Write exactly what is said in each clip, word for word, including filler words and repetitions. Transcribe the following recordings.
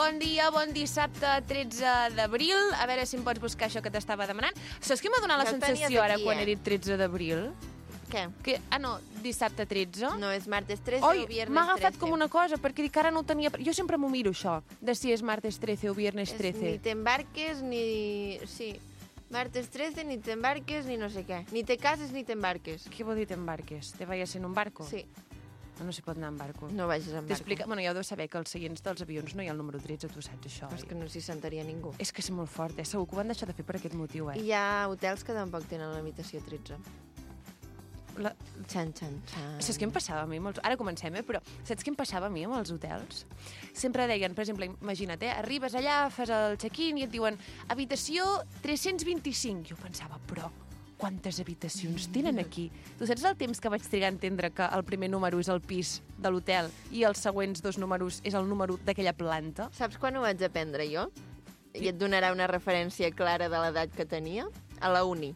Bon dia, bon dissabte, tretze d'abril. A veure si em pots buscar això que t'estava demanant. Saps què m'ha donat la Ja el sensació tenies ara aquí, quan eh? he dit tretze d'abril? Què? Que, ah, no, dissabte tretze? No, és martes trece Oi, o viernes m'ha agafat trece. com una cosa, perquè dic que ara no ho tenia... Jo sempre m'ho miro, això, de si és martes trece o viernes És trece. Ni t'embarques ni... Sí, martes trece, ni t'embarques ni no sé què. Ni te cases ni t'embarques. Què vol dir t'embarques? Te vayas en un barco? Sí, No, no s'hi pot anar en barco. no vagis en barco. T'explica... Bueno, ja ho deus saber, que als seients dels avions no hi ha el número tretze, tu saps això, Però és oi? que no s'hi sentaria ningú. És que és molt fort, eh? Segur que ho van deixar de fer per aquest motiu, eh? I hi ha hotels que tampoc tenen la limitació tretze. La... Xan, xan, xan. Saps què em passava a mi? Amb els... Ara comencem, eh? Però saps què em passava a mi amb els hotels? Sempre deien, per exemple, imagina't, eh? Arribes allà, fas el check-in i et diuen habitació tres-cents vint-i-cinc. Jo pensava, però quantes habitacions tenen aquí? Tu saps el temps que vaig trigar a entendre que el primer número és el pis de l'hotel i els següents dos números és el número d'aquella planta? Saps quan ho vaig aprendre jo? I et donarà una referència clara de l'edat que tenia? A la uni.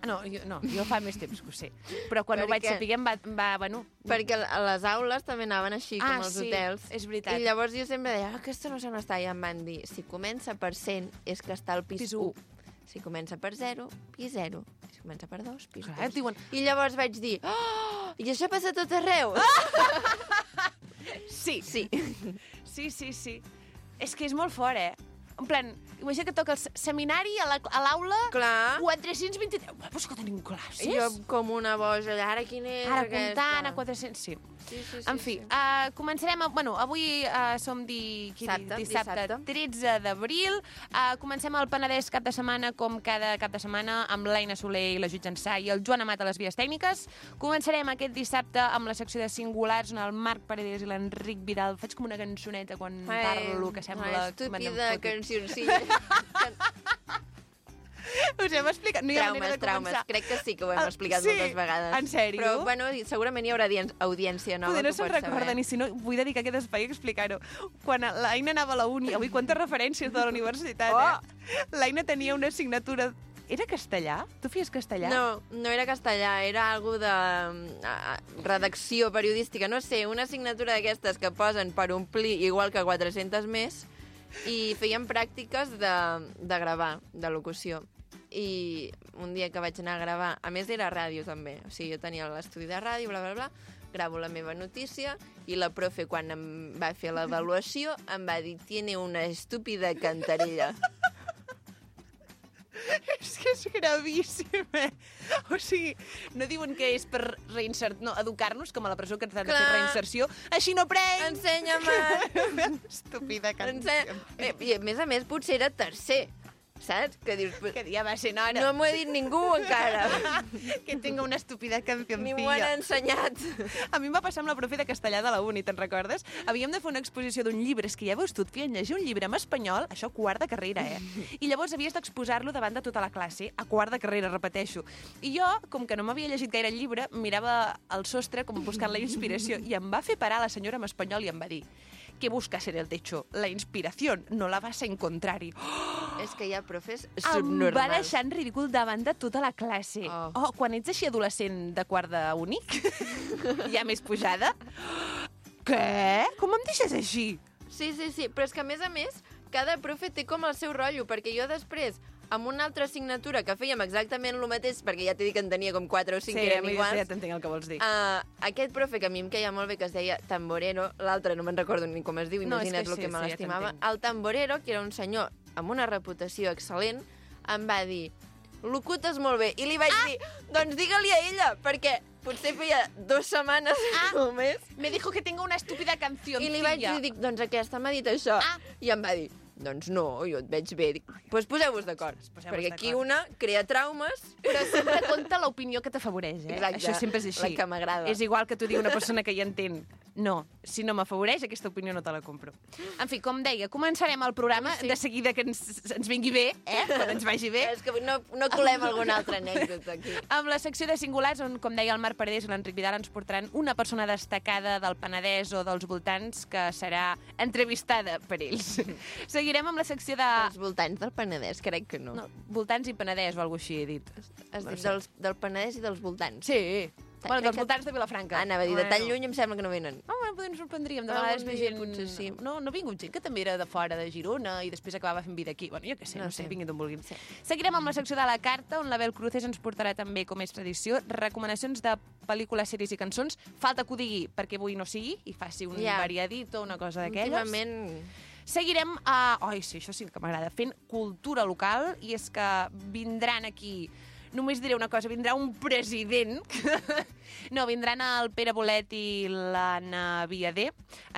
Ah, no, jo, no, jo fa més temps que ho sé. Però quan ho vaig Perquè- saber em va... Em va bueno, Perquè a les aules també anaven així, Ah, com els sí, hotels. és veritat. I llavors jo sempre deia, ah, aquesta no sé on està. I em van dir, si comença per cent, és que està al pis, Pis u. u. Si comença per zero, pis zero. Si comença per dos, pis Clar, et dos. diuen- I llavors vaig dir, oh, i això passa a tot arreu? sí, Sí. sí, sí, sí. És que és molt fort, eh? En plan, imagina que toca el se- seminari a la- a l'aula Clar. quatre-cents vint-i-tres. Ué, però és que tenim classes. I jo com una boja, allà, ara quina és Ara aquesta? comptant a quatre-cents, sí. Sí, sí, sí, En fi, sí. uh, començarem... A, bueno, avui uh, som di, qui, Dissabte, dissabte, dissabte. tretze d'abril. Uh, comencem el Penedès cap de setmana, com cada cap de setmana, amb l'Aina Soler i la Judit Jansà i el Joan Amat a les vies tècniques. Començarem aquest dissabte amb la secció de singulars, on el Marc Paredes i l'Enric Vidal... Faig com una cançoneta quan parlo, que sembla... Ai, que me estúpida n'en foto. cancioncilla. Us hem explicat... No hi ha manera Traumes, de traumes. començar. Crec que sí que ho hem Ah, explicat sí? moltes vegades. En sèrio? Però, bueno, segurament hi haurà audien- audiència nova Poder que no ho se'n pots recorden, saber. i si no, vull dedicar aquest espai a explicar-ho. Quan l'Aina anava a la uni, avui quantes referències de la universitat, Oh! eh? L'Aina tenia una assignatura... Era castellà? Tu feies castellà? No, no era castellà, era algo de uh, redacció periodística, no sé, una assignatura d'aquestes que posen per omplir igual que quatre-centes més, i feien pràctiques de, de gravar, de locució. I un dia que vaig anar a gravar, a més era ràdio també, o sigui, jo tenia l'estudi de ràdio, bla, bla, bla, gravo la meva notícia i la profe, quan em va fer l'avaluació, em va dir, tiene una estúpida cantarella. És que és gravíssim, eh? O sigui, no diuen que és per reinsert... No, educar-nos, com a la presó que ens han de fer Clar. reinserció. Així no prenc! Ensenya-me! Estúpida cançó. Ensenya... Eh, I a més a més potser era tercer, saps? Que dius, Que dia va ser nora. no m'ho he dit ningú encara. Que tenga una estúpida cancioncilla. Ni m'ho han ensenyat. A mi em va passar amb la profe de castellà de la uni, te'n recordes? Havíem de fer una exposició d'un llibre, és que ja veus tu, et feien llegir un llibre en espanyol, això quart de carrera, eh? I llavors havies d'exposar-lo davant de tota la classe, a quart de carrera, repeteixo. I jo, com que no m'havia llegit gaire el llibre, mirava al sostre com buscant la inspiració, i em va fer parar la senyora en espanyol i em va dir ¿qué buscas en el techo? La inspiración, no la vas a encontrar. I, oh, És que hi ha profes em va subnormals. deixar en ridícul davant de tota la classe. Oh. Oh, quan ets així adolescent de quart d'únic, ja més pujada, què? Com em deixes així? Sí, sí, sí, però és que a més a més, cada profe té com el seu rotllo, perquè jo després, amb una altra assignatura que fèiem exactament el mateix, perquè ja t'he dit que en tenia com quatre o cinc Sí, que eren a mi iguals, ja t'entenc el que vols dir. Uh, aquest profe que a mi em queia molt bé, que es deia Tamborero, l'altre no me'n recordo ni com es diu, No, és imagina't que el sí, que me sí, ja l'estimava. t'entenc. El Tamborero, que era un senyor amb una reputació excel·lent, em va dir, locutes molt bé. I li vaig ah! dir, doncs digue-li a ella, perquè potser feia dues setmanes Ah! o més. Me dijo que tengo una estúpida canción. I li vaig dir, dic, doncs aquesta m'ha dit això. Ah! I em va dir, doncs no, jo et veig bé. Dic, doncs poseu-vos d'acord, Poseu-vos perquè aquí d'acord. una crea traumes. Però sempre compta l'opinió que t'afavoreix, eh? Exacte, Això sempre és així. la que m'agrada. És igual que t'ho digui una persona que hi entén. No, si no m'afavoreix, aquesta opinió no te la compro. En fi, com deia, començarem el programa Sí. de seguida que ens, ens vingui bé, eh? Quan ens vagi bé. És que no, no colem alguna altra anècdota aquí. Amb la secció de singulars, on, com deia el Marc Paredes i l'Enric Vidal, ens portaran una persona destacada del Penedès o dels voltants que serà entrevistada per ells. Seguirem amb la secció de... Dels voltants del Penedès, crec que no. No, voltants i Penedès o alguna cosa així he dit. Has No dit sé. dels, del Penedès i dels voltants. Sí. Bueno, Crec dels que- voltants de Vilafranca. Ah, anava a dir, de tan Bueno. lluny em sembla que no venen. Oh, bueno, bueno, potser ens sorprendríem. De Algun vegades ve dia gent... potser sí. No, no ha vingut gent que també era de fora de Girona i després acabava fent vida aquí. Bueno, jo què sé, no, No sé, sé. vinguin d'on vulguin. Sí. Seguirem amb la secció de la carta, on l'Abel Cruces ens portarà també, com és tradició, recomanacions de pel·lícules, sèries i cançons. Falta que ho digui perquè avui no sigui i faci un Ja. variadito, una cosa d'aquelles. Últimament... Seguirem a... Ai, sí, això sí que m'agrada. Fent cultura local, i és que vindran aquí... Només diré una cosa, vindrà un president. No, vindran el Pere Bolet i l'Anna Viader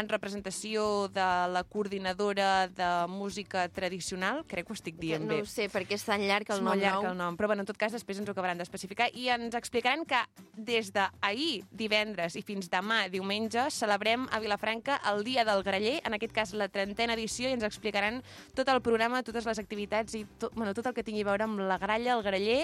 en representació de la coordinadora de música tradicional. Crec que ho estic dient no bé. ho sé, perquè és tan llarg el És nom molt llarg nou. el nom, però bueno, en tot cas després ens ho acabaran d'especificar i ens explicaran que des d'ahir, divendres, i fins demà, diumenge, celebrem a Vilafranca el Dia del Graller, en aquest cas la trentena edició, i ens explicaran tot el programa, totes les activitats i tot, bueno, tot el que tingui a veure amb la gralla, el graller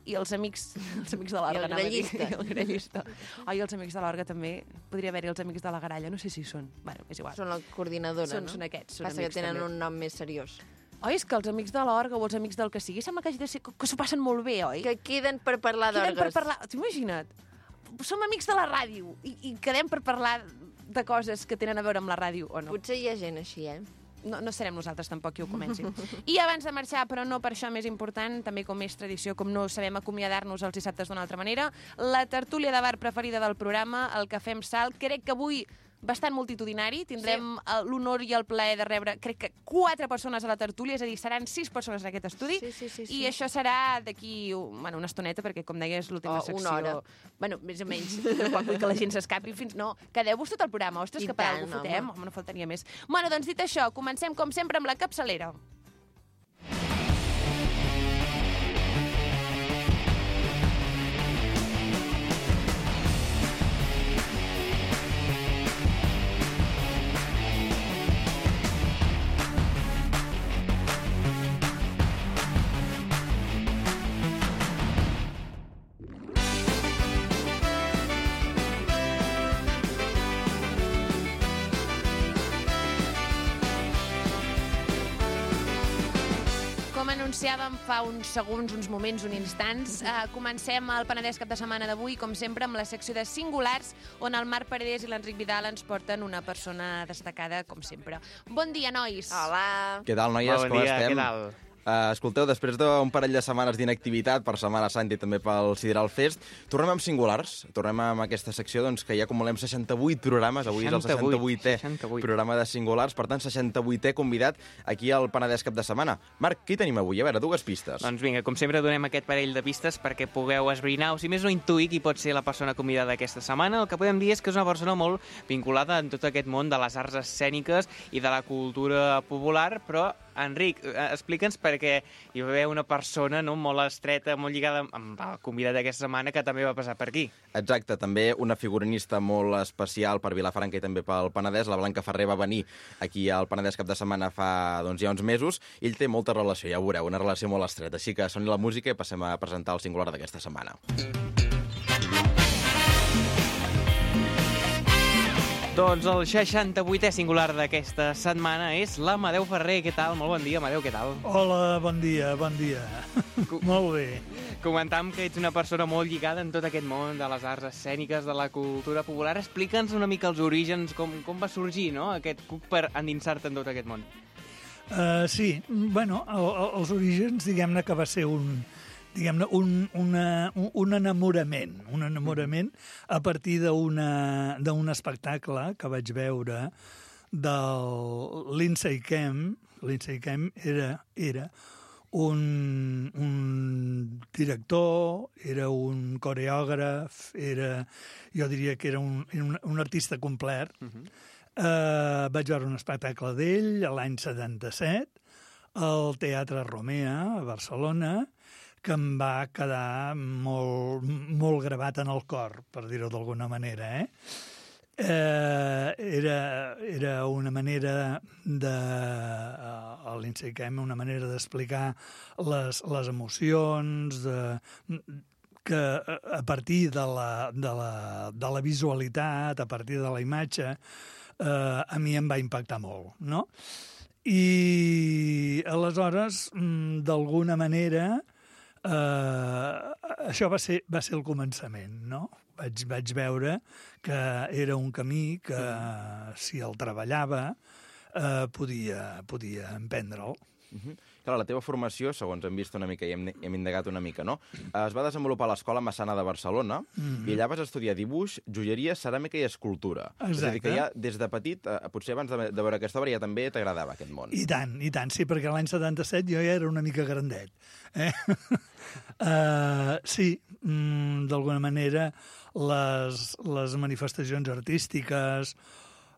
i els amics, els amics de l'orga. I el grallista. I el grallista. Ai, els amics de l'orga també. Podria haver-hi els amics de la gralla, no sé si són. Bueno, és igual. Són la coordinadora, Són- no? són aquests, són Passa que amics tenen també. un nom més seriós. Oi, és que els amics de l'orga o els amics del que sigui, sembla que hagi de ser, que s'ho passen molt bé, oi? Que queden per parlar Quedem per d'orgues. parlar... T'imagina't? Som amics de la ràdio i, i quedem per parlar de coses que tenen a veure amb la ràdio, o no? Potser hi ha gent així, eh? No, no serem nosaltres tampoc qui ho comenci. I abans de marxar, però no per això més important, també com és tradició, com no sabem acomiadar-nos els dissabtes d'una altra manera, la tertúlia de bar preferida del programa, el Cafè amb Sal. Crec que avui bastant multitudinari. Tindrem sí. l'honor i el plaer de rebre, crec que quatre persones a la tertúlia, és a dir, seran sis persones en aquest estudi. Sí, sí, sí, sí. I això serà d'aquí, bueno, una estoneta, perquè, com deies, l'última Oh, secció... una hora. Bueno, més o menys. Tampoc vull que la gent s'escapi fins... No, quedeu-vos tot el programa. Ostres, I que per tant, alguna cosa fotem. home. Home, no faltaria més. Bueno, doncs dit això, comencem, com sempre, amb la capçalera. Com anunciàvem fa uns segons, uns moments, uns instants, eh, comencem el Penedès cap de setmana d'avui, com sempre, amb la secció de singulars, on el Marc Paredes i l'Enric Vidal ens porten una persona destacada, com sempre. Bon dia, nois! Hola! Què tal, noies? Bon Com dia, estem? què tal? Uh, escolteu, després d'un parell de setmanes d'inactivitat per Setmana Santa i també pel Sideral Fest, tornem amb singulars. Tornem amb aquesta secció doncs, que ja acumulem seixanta-vuit programes. Avui és el seixanta-vuitè seixanta-vuit. programa de singulars. Per tant, seixanta-vuitè convidat aquí al Penedès cap de setmana. Marc, què hi tenim avui? A veure, dues pistes. Doncs vinga, com sempre donem aquest parell de pistes perquè pugueu esbrinar, o si més no intuir qui pot ser la persona convidada aquesta setmana. El que podem dir és que és una persona molt vinculada en tot aquest món de les arts escèniques i de la cultura popular, però Enric, eh, explica'ns perquè hi va haver una persona no, molt estreta, molt lligada amb el convidat d'aquesta setmana que també va passar per aquí. Exacte, també una figurinista molt especial per Vilafranca i també pel Penedès. La Blanca Ferrer va venir aquí al Penedès cap de setmana fa doncs, ja uns mesos. Ell té molta relació, ja ho veureu, una relació molt estreta. Així que soni la música i passem a presentar el singular d'aquesta setmana. Doncs el seixanta-vuitè singular d'aquesta setmana és l'Amadeu Ferrer. Què tal? Molt bon dia, Amadeu, què tal? Hola, bon dia, bon dia. Molt bé. Comentàvem que ets una persona molt lligada en tot aquest món de les arts escèniques, de la cultura popular. Explica'ns una mica els orígens, com, com va sorgir no? aquest cuc per endinsar-te en tot aquest món. Uh, sí, bueno, el, el, els orígens, diguem-ne que va ser un, diguem-ne, un, una, un, un enamorament, un enamorament a partir d'una d'un espectacle que vaig veure del Lindsay Kemp. Lindsay Kemp era, era un, un director, era un coreògraf, era, jo diria que era un, un, un artista complet. Uh-huh. Uh, vaig veure un espectacle d'ell l'any setanta-set al Teatre Romea, a Barcelona, que em va quedar molt, molt gravat en el cor, per dir-ho d'alguna manera. Eh? Uh, era, era una manera de... Uh, Lindsay Kemp, una manera d'explicar les, les emocions, de, que a partir de la, de, la, de la visualitat, a partir de la imatge, Uh, a mi em va impactar molt, no? I aleshores, d'alguna manera, Uh, això va ser, va ser el començament, no? Vaig, vaig veure que era un camí que, si el treballava, uh, podia, podia emprendre'l. Uh-huh. Clar, la teva formació, segons hem vist una mica i hem, hem indagat una mica, no? Es va desenvolupar a l'Escola Massana de Barcelona mm-hmm. i allà vas estudiar dibuix, joieria, ceràmica i escultura. Exacte. És a dir, que ja des de petit, eh, potser abans de, de veure aquesta obra, ja també t'agradava aquest món. I tant, i tant, sí, perquè l'any setanta-set jo ja era una mica grandet. Eh? uh, sí, mm, d'alguna manera, les, les manifestacions artístiques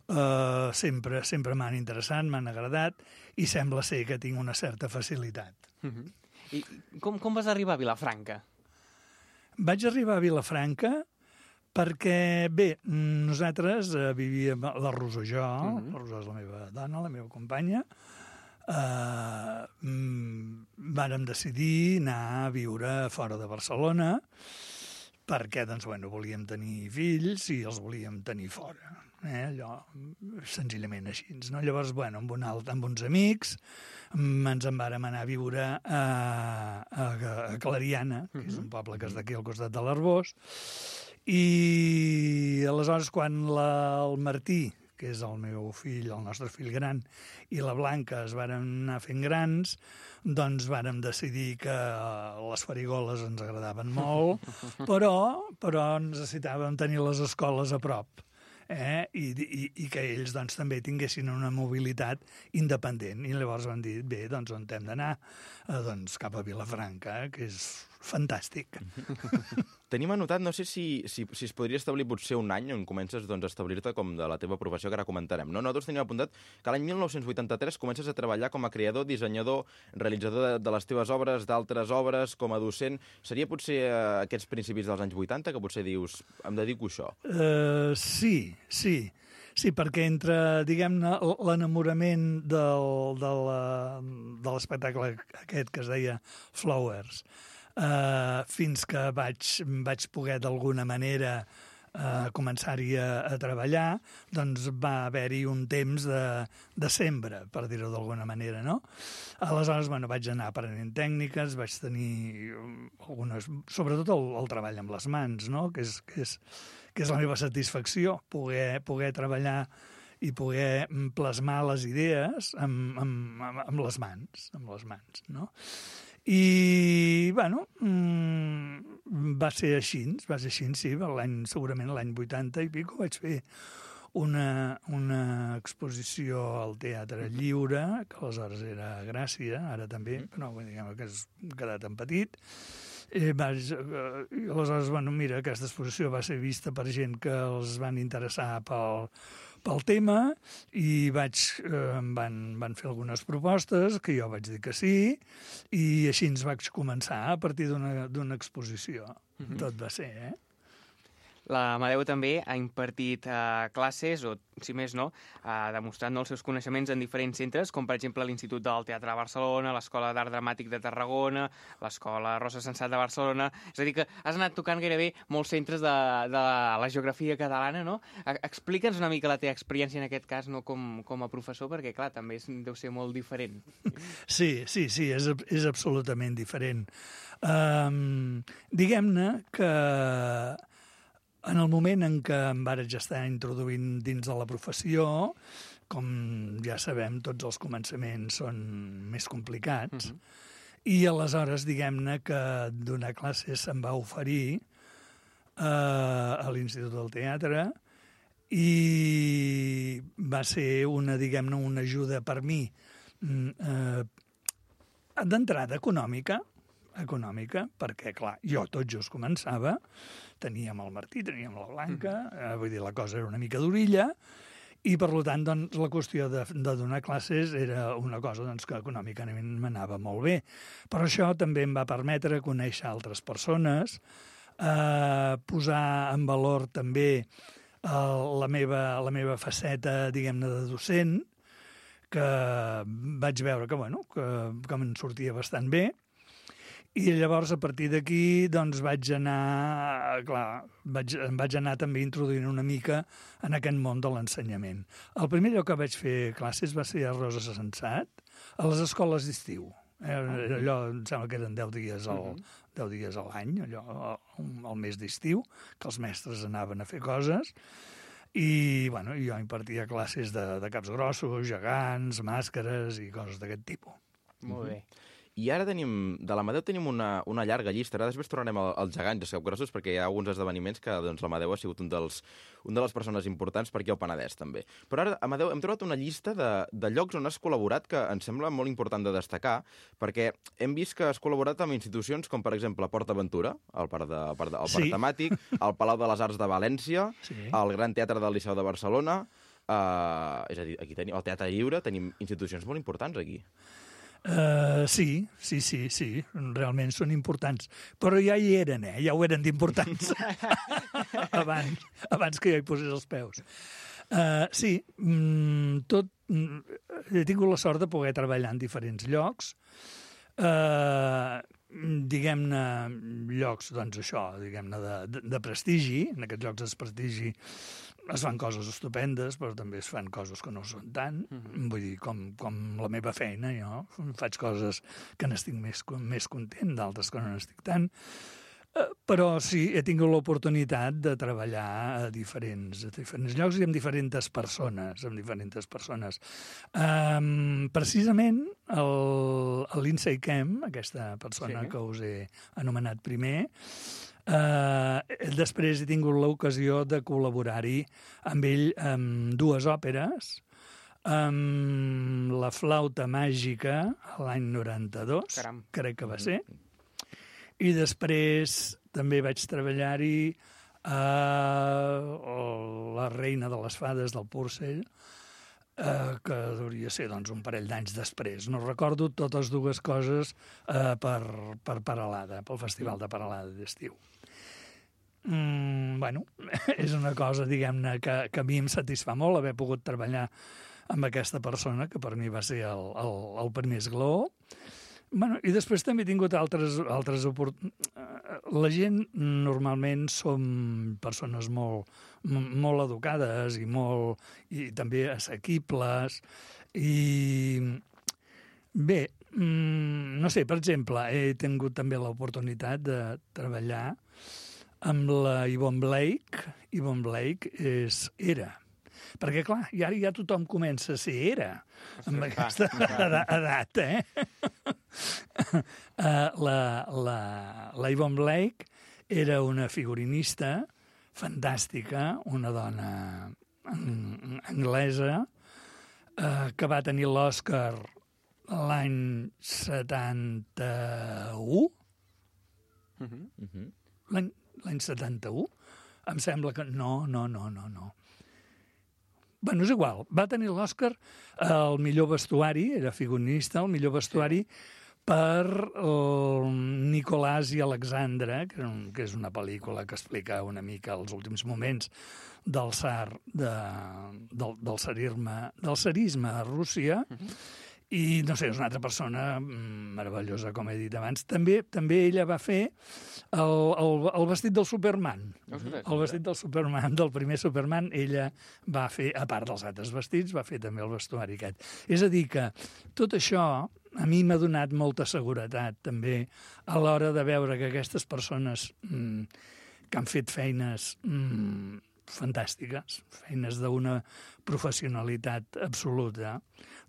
Uh, sempre sempre m'han interessat, m'han agradat, i sembla ser que tinc una certa facilitat. Uh-huh. I com, com vas arribar a Vilafranca? Vaig arribar a Vilafranca perquè, bé, nosaltres uh, vivíem, la Rosó i jo, uh-huh. la Rosó és la meva dona, la meva companya, uh, mm, vàrem decidir anar a viure fora de Barcelona perquè, doncs, bueno, volíem tenir fills i els volíem tenir fora. Eh, allò, senzillament així. No? Llavors, bueno, amb, un alt, amb uns amics, ens en vàrem anar a viure a, a, a Clariana, que és un poble que és d'aquí al costat de l'Arbós, i aleshores quan la, el Martí, que és el meu fill, el nostre fill gran, i la Blanca es varen anar fent grans, doncs vàrem decidir que les farigoles ens agradaven molt, però, però necessitàvem tenir les escoles a prop. Eh? I, i, i que ells doncs, també tinguessin una mobilitat independent. I llavors van dir, bé, doncs on hem d'anar? Eh, doncs cap a Vilafranca, eh? Que és fantàstic. Tenim anotat, no sé si, si, si es podria establir potser un any on comences doncs, a establir-te com de la teva professió, que ara comentarem. No? Nosaltres tenim apuntat que l'any mil nou-cents vuitanta-tres comences a treballar com a creador, dissenyador, realitzador de, de les teves obres, d'altres obres, com a docent. Seria potser eh, aquests principis dels anys vuitanta que potser dius, em dedico a això? Uh, sí, sí. Sí, perquè entre, diguem-ne, l'enamorament del, de la- de l'espectacle aquest que es deia Flowers, eh, fins que vaig, vaig poder d'alguna manera eh, començar-hi a, a treballar, doncs va haver-hi un temps de, de sembra, per dir-ho d'alguna manera, no? Aleshores, bueno, vaig anar aprenent tècniques, vaig tenir algunes, sobretot el, el treball amb les mans, no? Que és, que és, que és la meva satisfacció, poder, poder treballar i poder plasmar les idees amb, amb, amb, amb les mans, amb les mans, no? I, bueno, mm, va ser així, va ser així, sí, l'any, segurament l'any vuitanta i pico vaig fer una, una exposició al Teatre Lliure, que aleshores era a Gràcia, ara també, però diguem que has quedat en petit. Eh, vaig, eh, i aleshores, bueno, mira, aquesta exposició va ser vista per gent que els van interessar pel, pel tema i vaig, eh, em van, van fer algunes propostes que jo vaig dir que sí i així ens vaig començar a partir d'una d'una exposició. Mm-hmm. Tot va ser, eh? L'Amadeu també ha impartit uh, classes, o si més no, uh, demostrant no, els seus coneixements en diferents centres, com per exemple l'Institut del Teatre de Barcelona, l'Escola d'Art Dramàtic de Tarragona, l'Escola Rosa Sensat de Barcelona. És a dir, que has anat tocant gairebé molts centres de, de la geografia catalana, no? Explica'ns una mica la teva experiència en aquest cas, no com, com a professor, perquè, clar, també és, deu ser molt diferent. Sí, sí, sí, és, és absolutament diferent. Um, diguem-ne que en el moment en què em vaig estar introduint dins de la professió, com ja sabem, tots els començaments són més complicats, uh-huh. i aleshores, diguem-ne, que donar classes se'm va oferir eh, a l'Institut del Teatre i va ser una, diguem-ne, una ajuda per mi eh, d'entrada econòmica, econòmica, perquè, clar, jo tot just començava, teníem el Martí, teníem la Blanca, eh, vull dir, la cosa era una mica d'orilla, i, per tant, doncs, la qüestió de, de donar classes era una cosa doncs, que econòmicament m'anava molt bé. Però això també em va permetre conèixer altres persones, eh, posar en valor també eh, la, meva, la meva faceta, diguem-ne, de docent, que vaig veure que, bueno, que, que me'n sortia bastant bé. I llavors, a partir d'aquí, doncs, vaig anar, clar, vaig, em vaig anar també introduint una mica en aquest món de l'ensenyament. El primer lloc que vaig fer classes va ser a Rosa Sensat, a les escoles d'estiu. Eh? Allò, em sembla que eren deu dies al, deu dies a l'any, allò, al mes d'estiu, que els mestres anaven a fer coses, i bueno, jo impartia classes de, de caps grossos, gegants, màscares i coses d'aquest tipus. Molt bé. I ara tenim, de l'Amadeu tenim una, una llarga llista. Ara després tornarem al, als gegants, als capgrossos, perquè hi ha alguns esdeveniments que doncs, l'Amadeu ha sigut un dels, un de les persones importants per aquí al Penedès, també. Però ara, Amadeu, hem trobat una llista de, de llocs on has col·laborat que ens sembla molt important de destacar, perquè hem vist que has col·laborat amb institucions com, per exemple, Port Aventura, el parc, de, el parc, de, el parc Sí. temàtic, el Palau de les Arts de València, Sí. el Gran Teatre del Liceu de Barcelona, eh, és a dir, aquí tenim el Teatre Lliure, tenim institucions molt importants aquí. Uh, sí, sí, sí, sí, realment són importants. Però ja hi eren, eh? Ja ho eren d'importants. abans, abans que jo hi posés els peus. Uh, sí, mm, tot... Mm, he tingut la sort de poder treballar en diferents llocs. Uh, diguem-ne, llocs, doncs això, diguem-ne, de, de, de prestigi. En aquests llocs de prestigi es fan coses estupendes, però també es fan coses que no són tant. Mm-hmm. Vull dir, com, com la meva feina, jo faig coses que n'estic més, més content, d'altres que no n'estic tant. Uh, però sí, he tingut l'oportunitat de treballar a diferents, a diferents llocs i amb diferents persones, amb diferents persones. Um, precisament, el, el Lindsay Kemp, aquesta persona Sí. que us he anomenat primer, Uh, després he tingut l'ocasió de col·laborar-hi amb ell amb dues òperes, amb La flauta màgica l'any noranta-dos, Caram. crec que va ser, i després també vaig treballar-hi a La reina de les fades del Purcell, uh, que hauria ser doncs, un parell d'anys després. No recordo totes dues coses uh, per, per Paralada, pel Festival de Paralada d'estiu. Mm, bueno, és una cosa, diguem-ne, que, que a mi em satisfà molt haver pogut treballar amb aquesta persona, que per mi va ser el, el, el primer esglaó. Bueno, i després també he tingut altres, altres oportunitats. La gent normalment som persones molt, molt educades i, molt, i també assequibles. I bé, no sé, per exemple, he tingut també l'oportunitat de treballar amb la Yvonne Blake. Yvonne Blake és era. Perquè, clar, i ara ja tothom comença a ser era, amb aquesta edat, eh? uh, la, la, la Yvonne Blake era una figurinista fantàstica, una dona anglesa, uh, que va tenir l'Oscar l'any setanta-u. Mhm. Uh-huh. L'any l'any setanta-u? Em sembla que... No, no, no, no, no. Bueno, és igual. Va tenir l'Oscar el millor vestuari, era figurinista, el millor vestuari per el Nicolàs i Alexandra, que, un, que és una pel·lícula que explica una mica els últims moments del tsar, de, del, del, tsarisme, del tsarisme a Rússia. Uh-huh. I, no sé, és una altra persona meravellosa, com he dit abans. També també ella va fer el, el, el vestit del Superman. Ostres. El vestit del Superman, del primer Superman, ella va fer, a part dels altres vestits, va fer també el vestuari aquest. És a dir que tot això a mi m'ha donat molta seguretat, també, a l'hora de veure que aquestes persones mmm, que han fet feines mmm, fantàstiques, feines d'una professionalitat absoluta,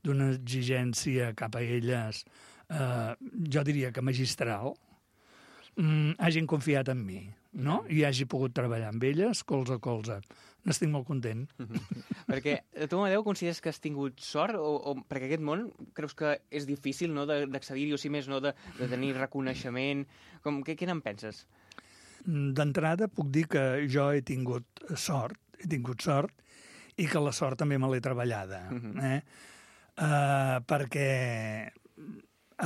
d'una exigència cap a elles, eh, jo diria que magistral, mm, hagin confiat en mi, no? I hagi pogut treballar amb elles, colze a colze. N'estic molt content. Perquè tu, Amadeu, consideres que has tingut sort? O, o perquè aquest món creus que és difícil, no?, d'accedir-hi, o si més no, de, de tenir reconeixement? Com, què, què n'en penses? D'entrada puc dir que jo he tingut sort, he tingut sort, i que la sort també me l'he treballada. Uh-huh. eh? uh, perquè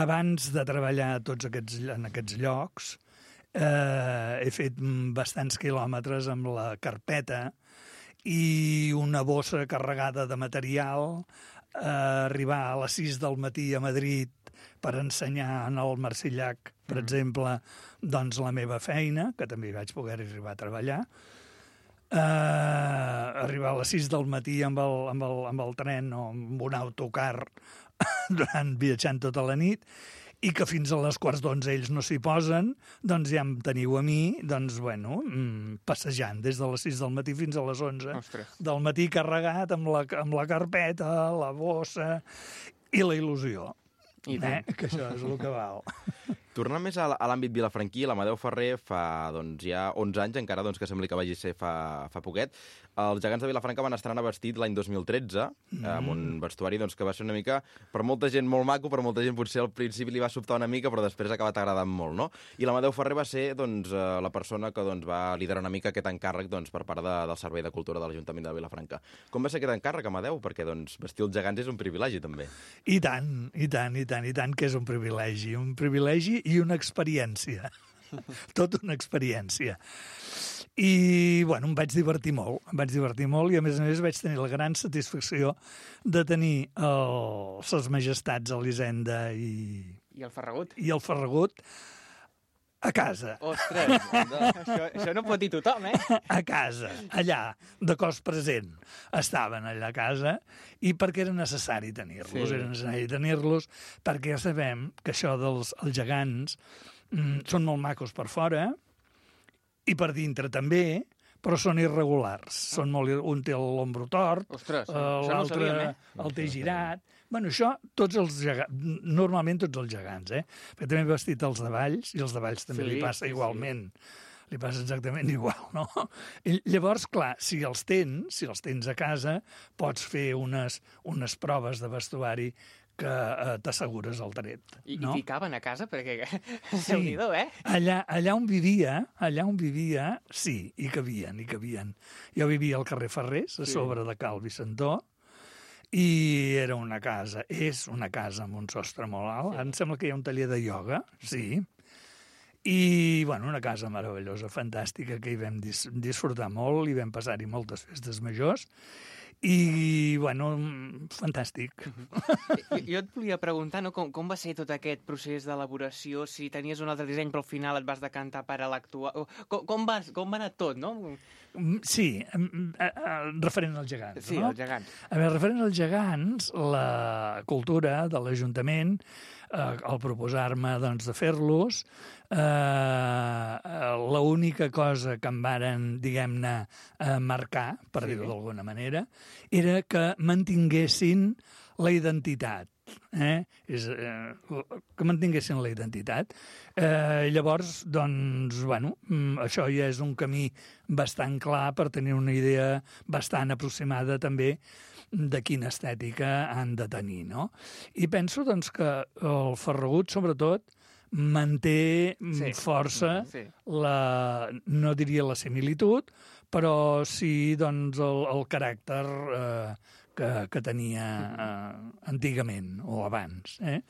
abans de treballar a tots aquests, en aquests llocs, uh, he fet bastants quilòmetres amb la carpeta i una bossa carregada de material, uh, arribar a les sis del matí a Madrid per ensenyar en el Marcellac, per mm. exemple, doncs la meva feina, que també vaig poder arribar a treballar, uh, arribar a les sis del matí amb el, amb el, amb el tren o amb un autocar durant viatjant tota la nit, i que fins a les quarts d'onze ells no s'hi posen, doncs ja em teniu a mi, doncs, bueno, passejant des de les sis del matí fins a les onze Ostres. del matí, carregat amb la, amb la carpeta, la bossa i la il·lusió. I tant. Eh? Que això és el que val. Tornant més a l'àmbit vilafranquí, l'Amadeu Ferrer fa doncs, ja onze anys, encara doncs, que sembli que vagi ser fa, fa poquet. Els gegants de Vilafranca van estrenar vestit l'any dos mil tretze, mm. amb un vestuari doncs, que va ser una mica, per molta gent molt maco, per molta gent potser al principi li va sobtar una mica, però després ha acabat agradant molt, no? I l'Amadeu Ferrer va ser doncs, la persona que doncs, va liderar una mica aquest encàrrec doncs, per part de, del Servei de Cultura de l'Ajuntament de Vilafranca. Com va ser aquest encàrrec, Amadeu? Perquè doncs, vestir els gegants és un privilegi, també. I tant, i tant, i tant, i tant que és un privilegi. Un privilegi i una experiència. Tot una experiència. I, bueno, em vaig divertir molt, em vaig divertir molt i, a més a més, vaig tenir la gran satisfacció de tenir el, ses majestats Elisenda i, I el Ferragut? i el Ferragut a casa. Ostres, això, això no pot dir tothom, eh? A casa, allà, de cos present. Estaven allà a casa i perquè era necessari tenir-los, Sí. era necessari tenir-los perquè ja sabem que això dels els gegants mm, són molt macos per fora i per dintre també, però són irregulars. Són molt, ir- un té l'ombro tort, Ostres, eh, això no ho l'altre sabíem, eh? el té girat. Bueno, això, tots els gegants, normalment tots els gegants, eh? Perquè també he vestit els de Valls, i els de Valls també Sí, li passa sí, sí. igualment. Li passa exactament igual, no? I llavors, clar, si els tens, si els tens a casa, pots fer unes, unes proves de vestuari que eh, t'assegures el dret. I, no? I ficaven a casa, perquè... Sí. Déu-n'hi-do, eh? Allà, allà on vivia, allà on vivia, sí, hi cabien, hi cabien. Jo vivia al carrer Ferrés, a Sí. sobre de Cal Vicentó, i era una casa, és una casa amb un sostre molt alt. Ara em sembla que hi ha un taller de ioga, sí. I, bueno, una casa meravellosa, fantàstica, que hi vam dis disfrutar molt, hi vam passar-hi moltes festes majors, i, bueno, fantàstic. Jo, jo et volia preguntar, no, com, com va ser tot aquest procés d'elaboració, si tenies un altre disseny, però al final et vas decantar per a l'actual... Com, com, va, com va anar tot, no? Sí, em, eh, eh, referent als gegants, Sí, no? els gegants. A veure, referent als gegants, la cultura de l'Ajuntament, eh, al proposar-me doncs, de fer-los, eh, l'única cosa que em varen, diguem-ne, eh, marcar, per Sí. dir-ho d'alguna manera, era que mantinguessin la identitat. Eh? És, eh, que mantinguessin la identitat. Eh, llavors, doncs, bueno, mm, això ja és un camí bastant clar per tenir una idea bastant aproximada també de quina estètica han de tenir, no? I penso, doncs, que el Ferragut, sobretot, manté mm, Sí. força Sí. la, no diria la similitud, però sí, doncs, el, el caràcter eh, que, que tenia eh, antigament o abans. Eh?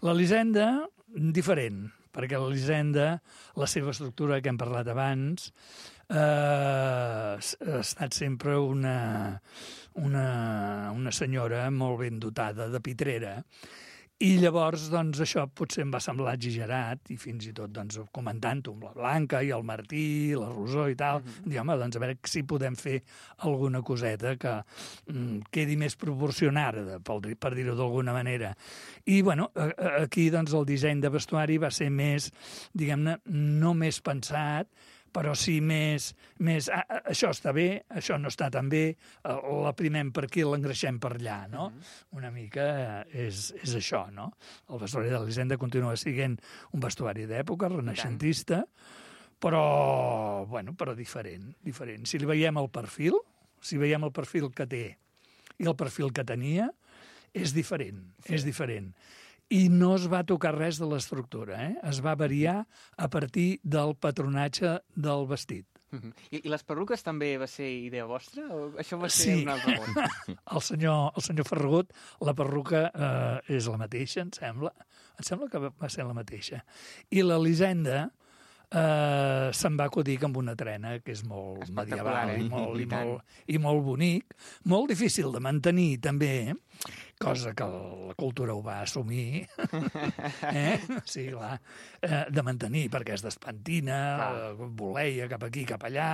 L'Elisenda, diferent, perquè l'Elisenda, la seva estructura que hem parlat abans, eh, ha estat sempre una, una, una senyora molt ben dotada de pitrera. I llavors, doncs, això potser em va semblar exagerat, i fins i tot, doncs, comentant-ho amb la Blanca i el Martí, la Rosó i tal, mm-hmm. dir, home, doncs, a veure si podem fer alguna coseta que mm, quedi més proporcionada, per, per dir-ho d'alguna manera. I, bueno, aquí, doncs, el disseny de vestuari va ser més, diguem-ne, no més pensat, però sí més, més ah, això està bé, això no està tan bé, l'aprimem per aquí, l'engreixem per allà, no? Mm-hmm. Una mica és, és això, no? El vestuari de l'Elisenda continua sent un vestuari d'època, renaixentista, però, bueno, però diferent, diferent. Si li veiem el perfil, si veiem el perfil que té i el perfil que tenia, és diferent, sí. és diferent. I no es va tocar res de l'estructura, eh? Es va variar a partir del patronatge del vestit. Uh-huh. I, I les perruques també va ser idea vostra? O això va ser Sí. un altre món? El senyor, el senyor Ferragut, la perruca eh, és la mateixa, em sembla. Em sembla que va ser la mateixa. I l'Elisenda eh, se'n va acudir amb una trena que és molt Espectacular, medieval eh? i, molt, I i, tant. molt, i molt bonic. Molt difícil de mantenir, també, cosa que la cultura ho va assumir, eh? Sí, clar, eh, de mantenir, perquè es despentina, eh, voleia cap aquí, cap allà,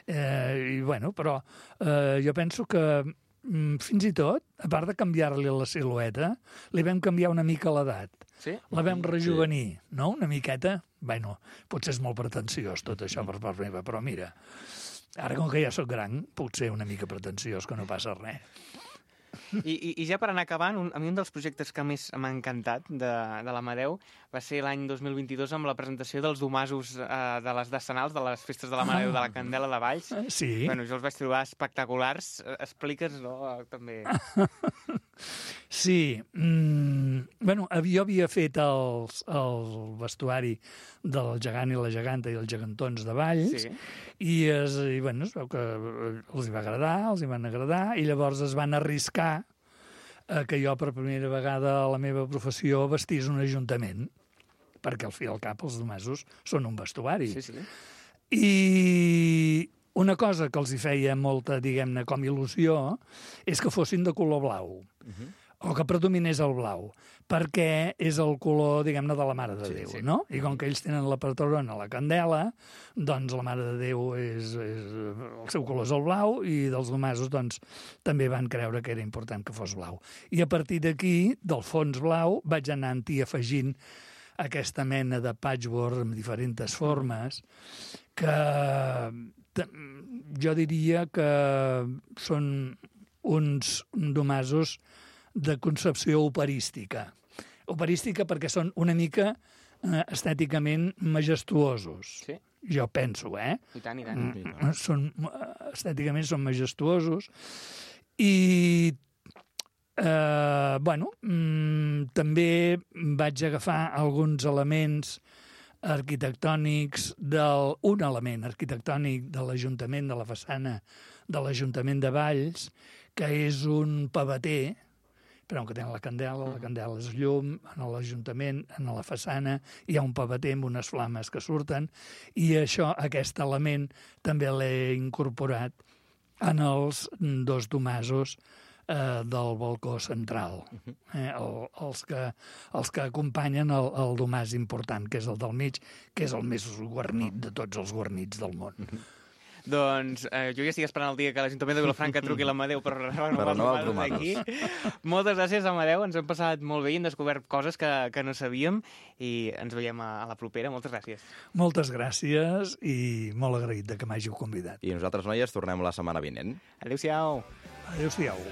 eh, i bueno, però eh, jo penso que mm, fins i tot, a part de canviar-li la silueta, li vam canviar una mica l'edat. Sí? La vam rejuvenir, no?, una miqueta. Bueno, potser és molt pretensiós tot això per part meva, però mira, ara com que ja sóc gran, puc ser una mica pretensiós, que no passa res. I, i, I ja per anar acabant, un, a mi un dels projectes que més m'ha encantat de, de l'Amadeu va ser l'any dos mil vint-i-dos amb la presentació dels domasos eh, de les decenals, de les festes de l'Amadeu de la Candela de Valls. Sí. Bueno, jo els vaig trobar espectaculars. Explica'ns, no?, també. Sí. Mm, bueno, jo havia fet els, el vestuari del gegant i la geganta i els gegantons de Valls, Sí. i, es, i bueno, es veu que els hi va agradar, els hi van agradar, i llavors es van arriscar eh, que jo per primera vegada a la meva professió vestís un ajuntament, perquè al fi i al cap els domasos són un vestuari. Sí, sí. I una cosa que els hi feia molta, diguem-ne, com il·lusió, és que fossin de color blau, uh-huh. o que predominés el blau, perquè és el color, diguem-ne, de la Mare de Sí, Déu, sí. no? I com que ells tenen la patrona, la Candela, doncs la Mare de Déu és, és... el seu color és el blau, i dels domasos, doncs, també van creure que era important que fos blau. I a partir d'aquí, del fons blau, vaig anar-hi afegint aquesta mena de patchwork amb diferents formes, que jo diria que són uns domasos de concepció operística. Operística perquè són una mica eh, estèticament majestuosos. Sí. Jo penso, eh? I tant, i tant. Mm, són, estèticament són majestuosos. I, eh, bueno, mm, també vaig agafar alguns elements arquitectònics del, un element arquitectònic de l'Ajuntament, de la façana de l'Ajuntament de Valls, que és un pavater, però que té la candela, la candela és llum, en l'Ajuntament, en la façana, hi ha un pavater amb unes flames que surten, i això, aquest element, també l'he incorporat en els dos domasos eh, del balcó central, eh, el, els, que, els que acompanyen el, el domàs important, que és el del mig, que és el més guarnit de tots els guarnits del món. Doncs eh, jo ja estic esperant el dia que l'Ajuntament de Vilafranca truqui l'Amadeu per renovar renovar els els domasos d'aquí. Moltes gràcies, Amadeu, ens hem passat molt bé i hem descobert coses que, que no sabíem, i ens veiem a, a la propera. Moltes gràcies. Moltes gràcies i molt agraït de que m'hàgiu convidat. I nosaltres, noies, tornem la setmana vinent. Adéu-siau. Adéu-siau.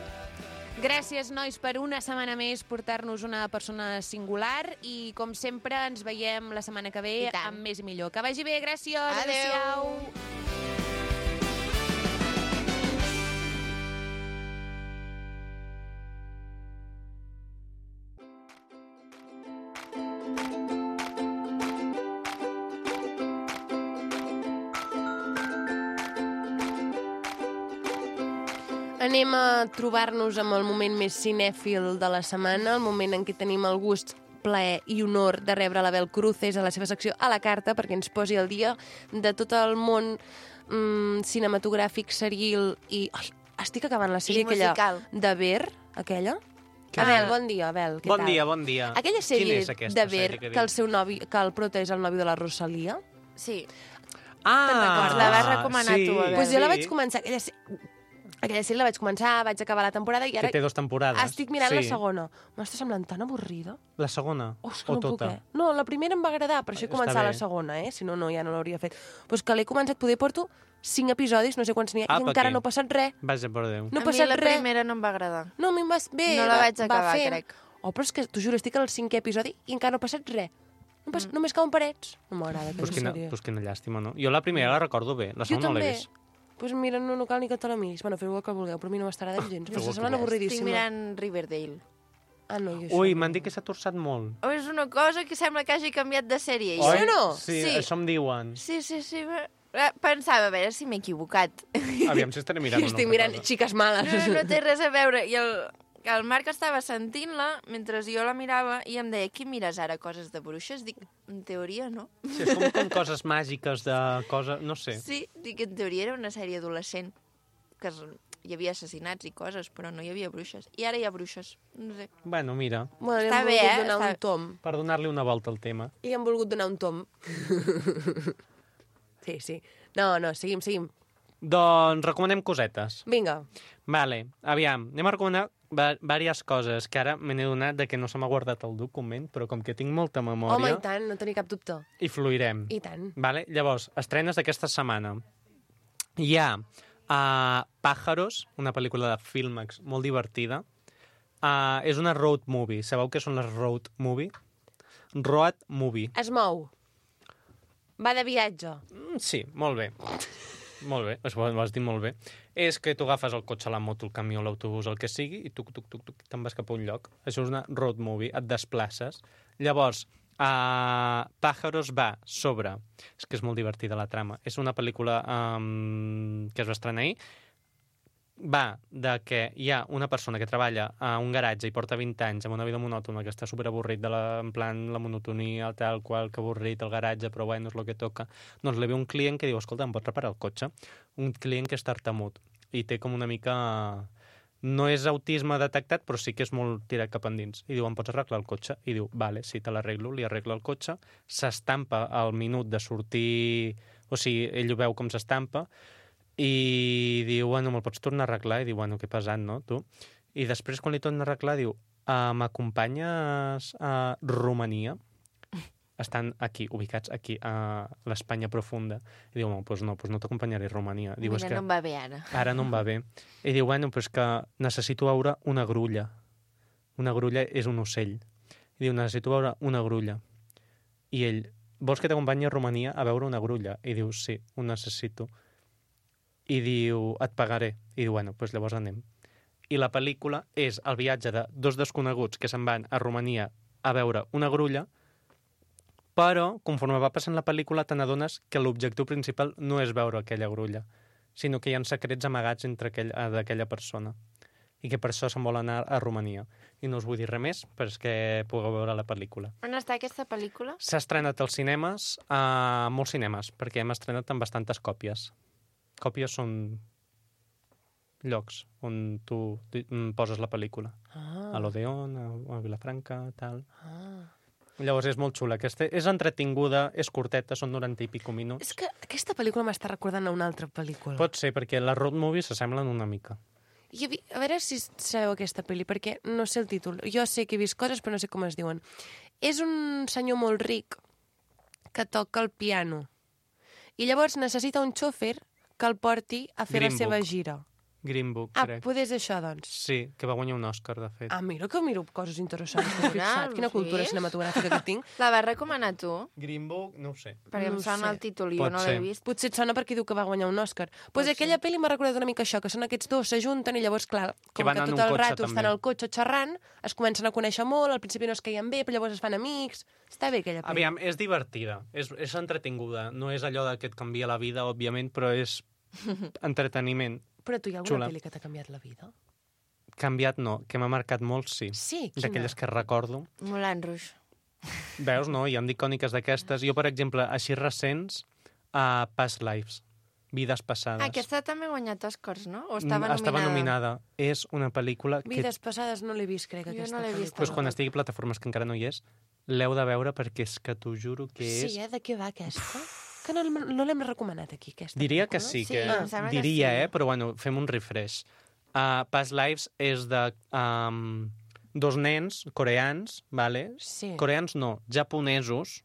Gràcies, nois, per una setmana més portar-nos una persona singular, i, com sempre, ens veiem la setmana que ve I tant. amb més i millor. Que vagi bé, gràcies. Adéu. Adéu-siau. Anem a trobar-nos amb el moment més cinèfil de la setmana, el moment en què tenim el gust, plaer i honor de rebre l'Abel Cruces a la seva secció A la Carta, perquè ens posi al dia de tot el món mm, cinematogràfic, seril i... Ai, estic acabant la sèrie I aquella musical. de Ver, aquella. Què? Abel, bon dia, Abel, què Bon tal? dia, bon dia. Aquella sèrie Quina és aquesta de Ver, sèrie que que el dius? seu novi, que el prota és el nòvio de la Rosalia. Sí. Ah, Te'n recordes? La vas recomanar sí, tu, Abel. Doncs pues jo la sí. vaig començar, aquella, se- aquella sèrie la vaig començar, vaig acabar la temporada i Que ara té dues temporades. estic mirant sí. la segona. M'està semblant tan avorrida. La segona? Oh, és que o no puc, tota? eh? No, la primera em va agradar, per això he Està començat bé. la segona, eh? Si no, no, ja no l'hauria fet. Però és que l'he començat, poder porto cinc episodis, no sé quants n'hi ha, Ah, i per encara què? no ha passat res. Vaja, per Déu. No ha a mi passat la res. primera no em va agradar. No, a mi em va... Bé, No la va- vaig va acabar, fent. crec. Oh, però és que, t'ho juro, estic al cinquè episodi i encara no ha passat res. No pas... mm. Només cauen parets. No m'agrada Pues aquesta quina, sèrie. pues quina llàstima, no? Jo la primera la recordo bé, la Jo segona no l'he també. vist. Doncs pues mira, no, no cal ni que te la miris. Bueno, feu el que vulgueu, però a mi no m'està agradant gens. Feu el M'està que semblant vols. avorridíssima. Estic mirant Riverdale. Ah, no, jo això Ui, no. m'han dit que s'ha torçat molt. Oh, és una cosa que sembla que hagi canviat de sèrie. Oi? jo. o no? Sí, Sí. això em diuen. Sí, sí, sí. eh, Pensava, a veure si m'he equivocat. Aviam si estaré mirant Jo una estic altra mirant cosa. xiques males. No, no té res a veure. I el, el Marc estava sentint-la mentre jo la mirava i em deia, qui mires ara, coses de bruixes? Dic, en teoria no. Sí, és com, com coses màgiques de coses... No sé. Sí, dic, en teoria era una sèrie adolescent, que es, hi havia assassinats i coses, però no hi havia bruixes. I ara hi ha bruixes. No sé. Bueno, mira, Bueno, li Està han bé, volgut eh? donar Està- un tom. per donar-li una volta al tema. Li han volgut donar un tom. Sí, sí. No, no, seguim, seguim. Doncs recomanem cosetes. Vinga. Vale, aviam, anem a recomanar diverses coses, que ara me n'he donat de que no se m'ha guardat el document, però com que tinc molta memòria... Home, i tant, no tenia cap dubte. I fluirem. I tant. Vale? Llavors, estrenes d'aquesta setmana. Hi ha uh, Pájaros, una pel·lícula de Filmax molt divertida. Uh, és una road movie. Sabeu què són les road movie? Road movie. Es mou. Va de viatge. Mm, sí, molt bé. Molt bé, ho has dit molt bé. És que tu agafes el cotxe, la moto, el camió, l'autobús, el que sigui, i tuc, tuc, tuc, tuc, te'n vas cap a un lloc. Això és una road movie, et desplaces. Llavors, uh, Pájaros va sobre... És que és molt divertida la trama. És una pel·lícula um, que es va estrenar ahir. Va de que hi ha una persona que treballa a un garatge i porta vint anys amb una vida monòtona, que està superavorrit de la, en plan la monotonia, tal qual, que avorrit el garatge, però bueno, és el que toca. Doncs li ve un client que diu, escolta, em pots reparar el cotxe? Un client que és tartamut i té com una mica... No és autisme detectat, però sí que és molt tirat cap endins. I diu, em pots arreglar el cotxe? I diu, vale, sí, te l'arreglo, li arregla el cotxe, s'estampa al minut de sortir... O sigui, ell ho veu com s'estampa, i diu, bueno, me'l pots tornar a arreglar? I diu, bueno, que pesant, no, tu? I després, quan li torna a arreglar, diu, uh, m'acompanyes a Romania? Estan aquí, ubicats aquí, a l'Espanya profunda. I diu, no, doncs no, doncs no t'acompanyaré a Romania. Diu, Mira, és que no em va bé ara. ara no em va bé. I diu, bueno, però és que necessito veure una grulla. Una grulla és un ocell. I diu, necessito veure una grulla. I ell, vols que t'acompanyi a Romania a veure una grulla? I diu, sí, ho necessito. I diu, et pagaré. I diu, bueno, doncs llavors anem. I la pel·lícula és el viatge de dos desconeguts que se'n van a Romania a veure una grulla, però, conforme va passant la pel·lícula, te n'adones que l'objectiu principal no és veure aquella grulla, sinó que hi ha secrets amagats entre aquell, d'aquella persona. I que per això se'n vol anar a Romania. I no us vull dir res més, perquè pugueu veure la pel·lícula. On està aquesta pel·lícula? S'ha estrenat als cinemes, a molts cinemes, perquè hem estrenat amb bastantes còpies. Còpies són llocs on tu poses la pel·lícula. Ah. A l'Odeon, a, a Vilafranca, tal. Ah. Llavors és molt xula. Aquesta és entretinguda, és curteta, són noranta i pico minuts. És que aquesta pel·lícula m'està recordant a una altra pel·lícula. Pot ser, perquè les road movies s'assemblen una mica. I a veure si sabeu aquesta pel·li, perquè no sé el títol. Jo sé que he vist coses, però no sé com es diuen. És un senyor molt ric que toca el piano. I llavors necessita un xòfer que el porti a fer Green la seva Book. gira. Green Book, Ah, crec. poder és això, doncs. Sí, que va guanyar un Òscar, de fet. Ah, mira que miro coses interessants. T'has fixat? Quina sí. cultura cinematogràfica que tinc. La vas recomanar tu? Green Book, no ho sé. Perquè No em ho sona sé. el títol i jo Pot no ser. l'he vist. Potser et sona perquè diu que va guanyar un Òscar. Doncs pues aquella pel·li m'ha recordat una mica això, que són aquests dos, s'ajunten i llavors, clar, Que com van que en tot un el cotxe, rato també. estan al cotxe xerrant, es comencen a conèixer molt, al principi no es caien bé, però llavors es fan amics. Està bé aquella pel·li. Aviam, és divertida, és, és entretinguda. No és allò de que et canvia la vida, òbviament, però és entreteniment. Però tu hi ha alguna Xula. pel·li que t'ha canviat la vida? Canviat no, que m'ha marcat molt, sí. Sí, quina? D'aquelles que recordo. Moulin Rouge. Veus, no? Hi ha d'icòniques d'aquestes. Jo, per exemple, així recents, a uh, Past Lives, Vides passades. Ah, aquesta també ha guanyat Oscars, no? O Mm, estava nominada? Estava nominada. És una pel·lícula que... Vides passades no l'he vist, crec, Jo aquesta no l'he vist. pel·lícula. Pues quan estigui a plataformes, que encara no hi és, l'heu de veure perquè és que t'ho juro que és... Sí, eh? De què va aquesta? Que no, no l'hem recomanat aquí, aquesta. Diria que pel·lícula. sí, Sí, que em sembla que diria, sí. eh? Però bueno, fem un refresh. Uh, Past Lives és de um, dos nens coreans, vale? Sí. Coreans no, japonesos.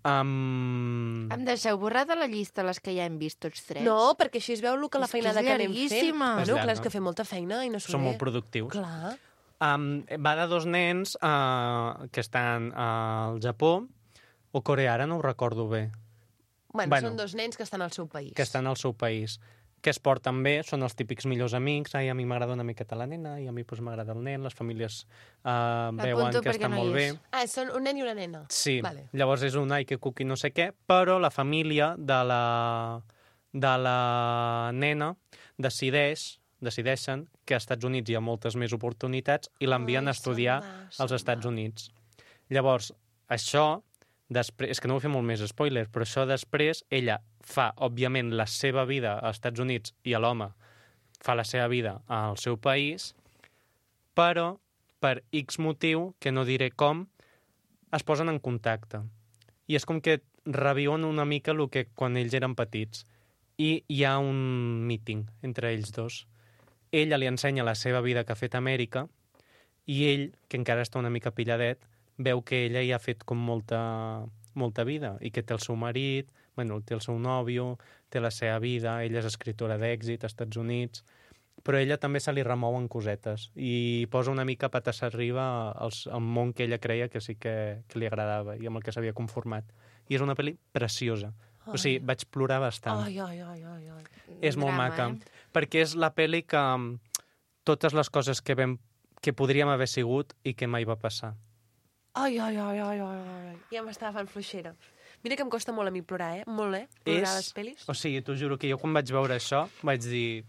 Um... Em deixeu borrar de la llista les que ja hem vist tots tres? No, perquè així es veu el que la És que és feinada que, anem fent. llarguíssima. Bueno, És clar, llarga. és que fem molta feina i no s'ho Són ve. molt productius. Clar. Um, va de dos nens uh, que estan al Japó, o Corea, ara no ho recordo bé, Bueno, Bueno. són dos nens que estan al seu país. que estan al seu país, que es porten bé, són els típics millors amics, ai, a mi m'agrada una miqueta la nena, i a mi pues, m'agrada el nen, les famílies uh, veuen L'apunto que perquè estan no hi molt bé. és. Ah, són un nen i una nena. Sí, Vale. llavors és un ai que cuqui no sé què, però la família de la, de la nena decideix, decideixen que als Estats Units hi ha moltes més oportunitats i l'envien Ai, a estudiar se'n va, als se'n Estats va. Units. Llavors, això, després, és que no vull fer molt més spoiler, però això després, ella fa, òbviament, la seva vida als Estats Units i l'home fa la seva vida al seu país, però per X motiu, que no diré com, es posen en contacte. I és com que reviuen una mica el que quan ells eren petits. i hi ha un meeting entre ells dos. Ella li ensenya la seva vida que ha fet a Amèrica i ell, que encara està una mica pilladet, veu que ella hi ha fet com molta, molta vida i que té el seu marit, bueno, té el seu nòvio, té la seva vida, ella és escriptora d'èxit als Estats Units, però ella també se li remouen cosetes i posa una mica patas arriba als, al món que ella creia que sí que, que li agradava i amb el que s'havia conformat. I és una pel·li preciosa. Ai. O sigui, vaig plorar bastant. Ai, ai, ai, ai, ai. És molt Drama, maca, eh? perquè és la pel·li que totes les coses que, vam, que podríem haver sigut i que mai va passar. Ai, ai, ai, ai, ai, ai. Ja m'estava fent fluixera. Mira que em costa molt a mi plorar, eh? Molt, eh? Plorar a les pel·lis. O sigui, t'ho juro que jo quan vaig veure això vaig dir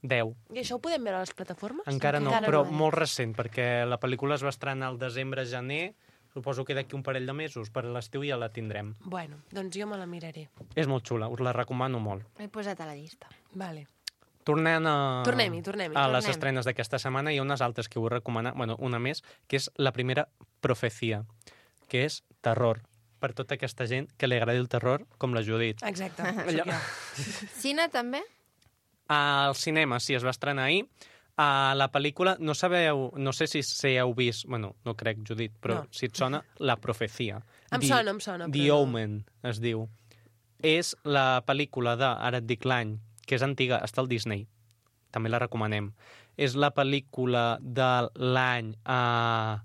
deu. I això ho podem veure a les plataformes? Encara no, Encara però no, eh? molt recent, perquè la pel·lícula es va estrenar al desembre-gener, suposo que d'aquí un parell de mesos, per l'estiu ja la tindrem. Bueno, doncs jo me la miraré. És molt xula, us la recomano molt. L'he posat a la llista. Vale. Tornant a... Tornem-hi, tornem-hi. A les Tornem. estrenes d'aquesta setmana hi ha unes altres que vull recomanar, bueno, una més, que és la primera Profecia, que és terror, per tota aquesta gent que li agradi el terror, com la Judit. Exacte, Allò- sóc jo. Cine, també? Al cinema, sí, es va estrenar ahir. A la pel·lícula, no sabeu, no sé si, si heu vist, bueno, no crec, Judit, però No. si et sona, La Profecia. Em The- sona, em sona, The però no. Omen, es diu. És la pel·lícula de, ara et dic l'any, que és antiga, està al Disney. També la recomanem. És la pel·lícula de l'any eh,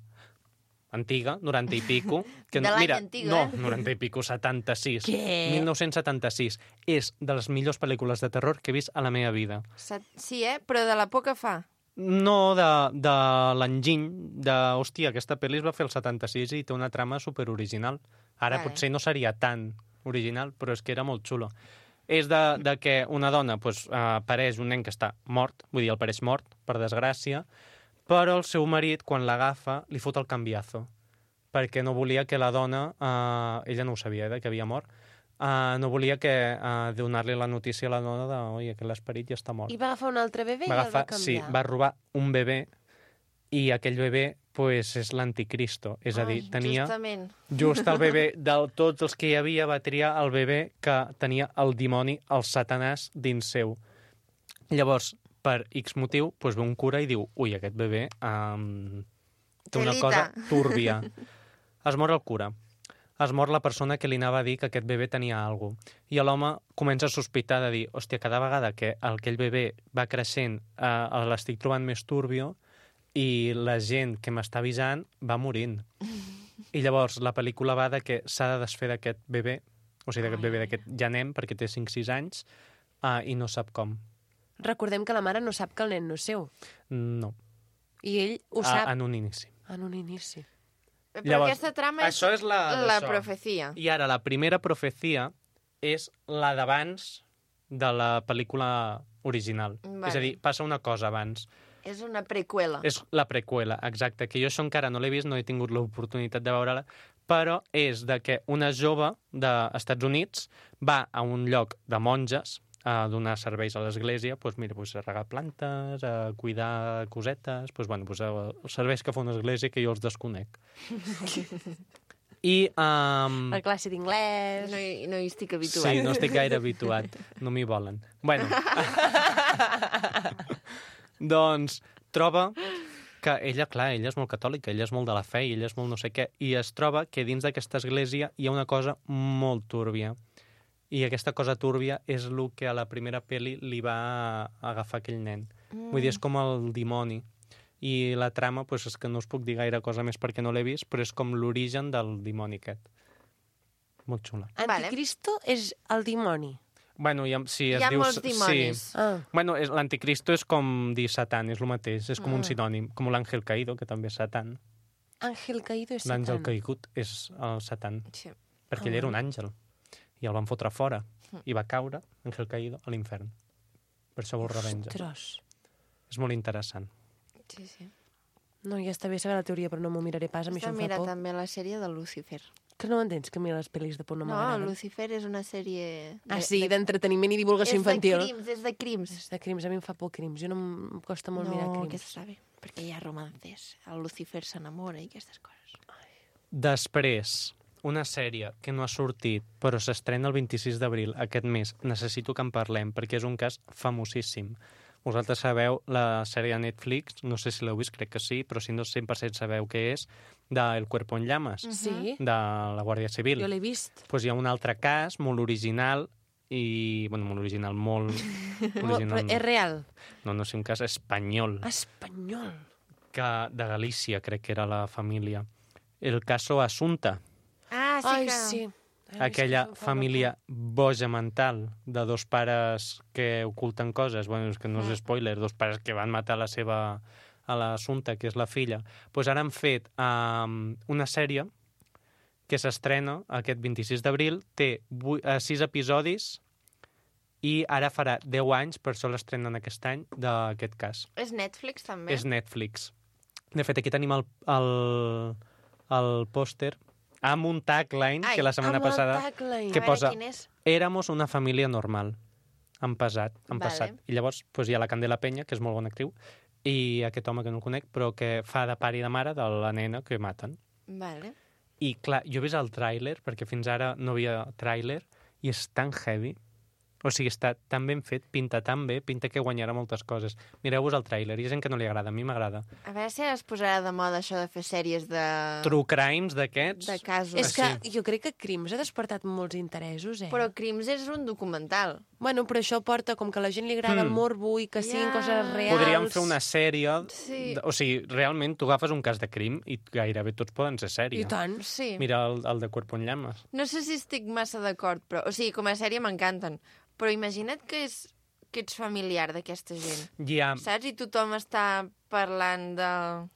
antiga, noranta i pico. Que, De l'any mira, antiga, no, eh? noranta i pico, setanta-sis. Què? mil nou-cents setanta-sis. És de les millors pel·lícules de terror que he vist a la meva vida. Sa- Sí, eh? Però de la por que fa. No de, de l'enginy, de, hòstia, aquesta pel·li es va fer el setanta-sis i té una trama superoriginal. Ara Vale. potser no seria tan original, però és que era molt xulo. És de, de que una dona pues, eh, pareix un nen que està mort, vull dir, el pareix mort, per desgràcia, però el seu marit, quan l'agafa, li fot el canviazo, perquè no volia que la dona, eh, ella no ho sabia, eh, que havia mort, eh, no volia que eh, donar-li la notícia a la dona de, oi, que l'esperit ja està mort. I va agafar un altre bebè Va i el va agafar, sí, canviar. va robar un bebè i aquell bebè pues, és l'anticristo. És a dir, Ai, tenia Justament. just el bebè de tots els que hi havia, va triar el bebè que tenia el dimoni, el satanàs, dins seu. Llavors, per X motiu, pues, ve un cura i diu ui, aquest bebè um, té una Telita. cosa túrbia. Es mor el cura. Es mor la persona que li anava a dir que aquest bebè tenia alguna cosa. I l'home comença a sospitar de dir, hòstia, cada vegada que aquell bebè va creixent eh, l'estic trobant més turbio i la gent que m'està avisant va morint. I llavors la pel·lícula va de que s'ha de desfer d'aquest bebè, o sigui, d'aquest bebè, d'aquest llanem, perquè té cinc sis anys, uh, i no sap com. Recordem que la mare no sap que el nen no és seu. No, I ell ho a, sap en un inici. en un inici. Però Llavors, aquesta trama és això és la la d'això. profecia. I ara la primera profecia és la d'abans de la pel·lícula original. Vale. És a dir, passa una cosa abans. És una preqüela. És la preqüela, exacte, que jo això encara no l'he vist, no he tingut l'oportunitat de veure-la, però és de que una jove dels Estats Units va a un lloc de monges a donar serveis a l'església, doncs mira, doncs a regar plantes, a cuidar cosetes, doncs, bueno, doncs els serveis que fa una església que jo els desconec. I... Um, La classe d'inglès... No hi, no hi estic habituat. sí, no estic gaire habituat. No m'hi volen. Bueno. Doncs troba que ella, clar, ella és molt catòlica, ella és molt de la fe, ella és molt no sé què, i es troba que dins d'aquesta església hi ha una cosa molt túrbia. I aquesta cosa túrbia és el que a la primera pel·li li va agafar aquell nen. Mm. Vull dir, és com el dimoni. I la trama, doncs, és que no us puc dir gaire cosa més perquè no l'he vist, però és com l'origen del dimoni aquest. Molt xula. Anticristo és el dimoni. Bueno, ja, sí, es Hi ha diu... molts dimonis. Sí. Ah. Bueno, és- l'anticristo és com dir Satan, és el mateix, és com Ah. un sinònim, com l'àngel caído, que també és Satan. Àngel caído és L'àngel Satan. caigut és el Satan, Sí. perquè Ah. ell era un àngel, i el van fotre fora, i va caure, àngel caído, a l'infern. Per això vol revenja. Ostres. És molt interessant. Sí, sí. No, ja està bé saber la teoria, però no m'ho miraré pas, a mi Està això em fa mira por. també la sèrie de Lucifer. Que no m'entens, que a mi les pel·lis de por no No, m'agraden. Lucifer és una sèrie... Ah, sí, d'entreteniment i divulgació infantil. És de crims, és de crims. És de crims, a mi em fa por crims. Jo no em em costa molt no, mirar crims. aquesta està bé, perquè hi ha romances. El Lucifer s'enamora i aquestes coses. Després, una sèrie que no ha sortit, però s'estrena el vint-i-sis d'abril aquest mes. Necessito que en parlem, perquè és un cas famosíssim. Vosaltres sabeu la sèrie de Netflix, no sé si l'heu vist, crec que sí, però si no cent per cent sabeu què és, de El cuerpo en llamas, Sí, de la Guàrdia Civil. jo l'he vist. Pues hi ha un altre cas molt original i... Bueno, molt original, molt... Molt, però original, és real. no, no sé, un cas espanyol, Espanyol. que de Galícia, crec que era la família. El caso Asunta, Ah, sí Ai, que... sí. Ai, aquella sí que fa família boja mental de dos pares que oculten coses, bueno, és que no Mm. és spoiler, dos pares que van matar la seva a l'Assumpta, que és la filla. Pues ara han fet um, una sèrie que s'estrena aquest vint-i-sis d'abril, té vuit, uh, sis episodis i ara farà deu anys, per això l'estrenen aquest any, d'aquest cas. És Netflix, també? És Netflix. De fet, aquí tenim el, el, el pòster amb un tagline Ai, que la setmana Amb el passada tagline. que A veure, posa quin és? éramos una família normal. Han passat, han Vale. passat. I llavors pues, hi ha la Candela Peña, que és molt bona actriu, i aquest home que no el conec, però que fa de pare i de mare de la nena que maten. Vale. I clar, jo he vist el tràiler, perquè fins ara no havia tràiler, i és tan heavy. O sigui, està tan ben fet, pinta tan bé, pinta que guanyarà moltes coses. Mireu-vos el tràiler, hi ha gent que no li agrada, a mi m'agrada. A veure si es posarà de moda això de fer sèries de... True crimes d'aquests... de casos. És que sí. jo crec que Crims ha despertat molts interessos, eh? Però Crims és un documental. Bueno, però això porta com que a la gent li agrada el Mm. morbo i que siguin Ja. coses reals. Podríem fer una sèrie... Sí. O sigui, realment, tu agafes un cas de crim i gairebé tots poden ser sèrie. I tant. Sí. Mira el, el de Cuerpo en Llamas. No sé si estic massa d'acord, però... O sigui, com a sèrie m'encanten. Però imagina't que, és, que ets familiar d'aquesta gent. Ja, Saps? I tothom està parlant de...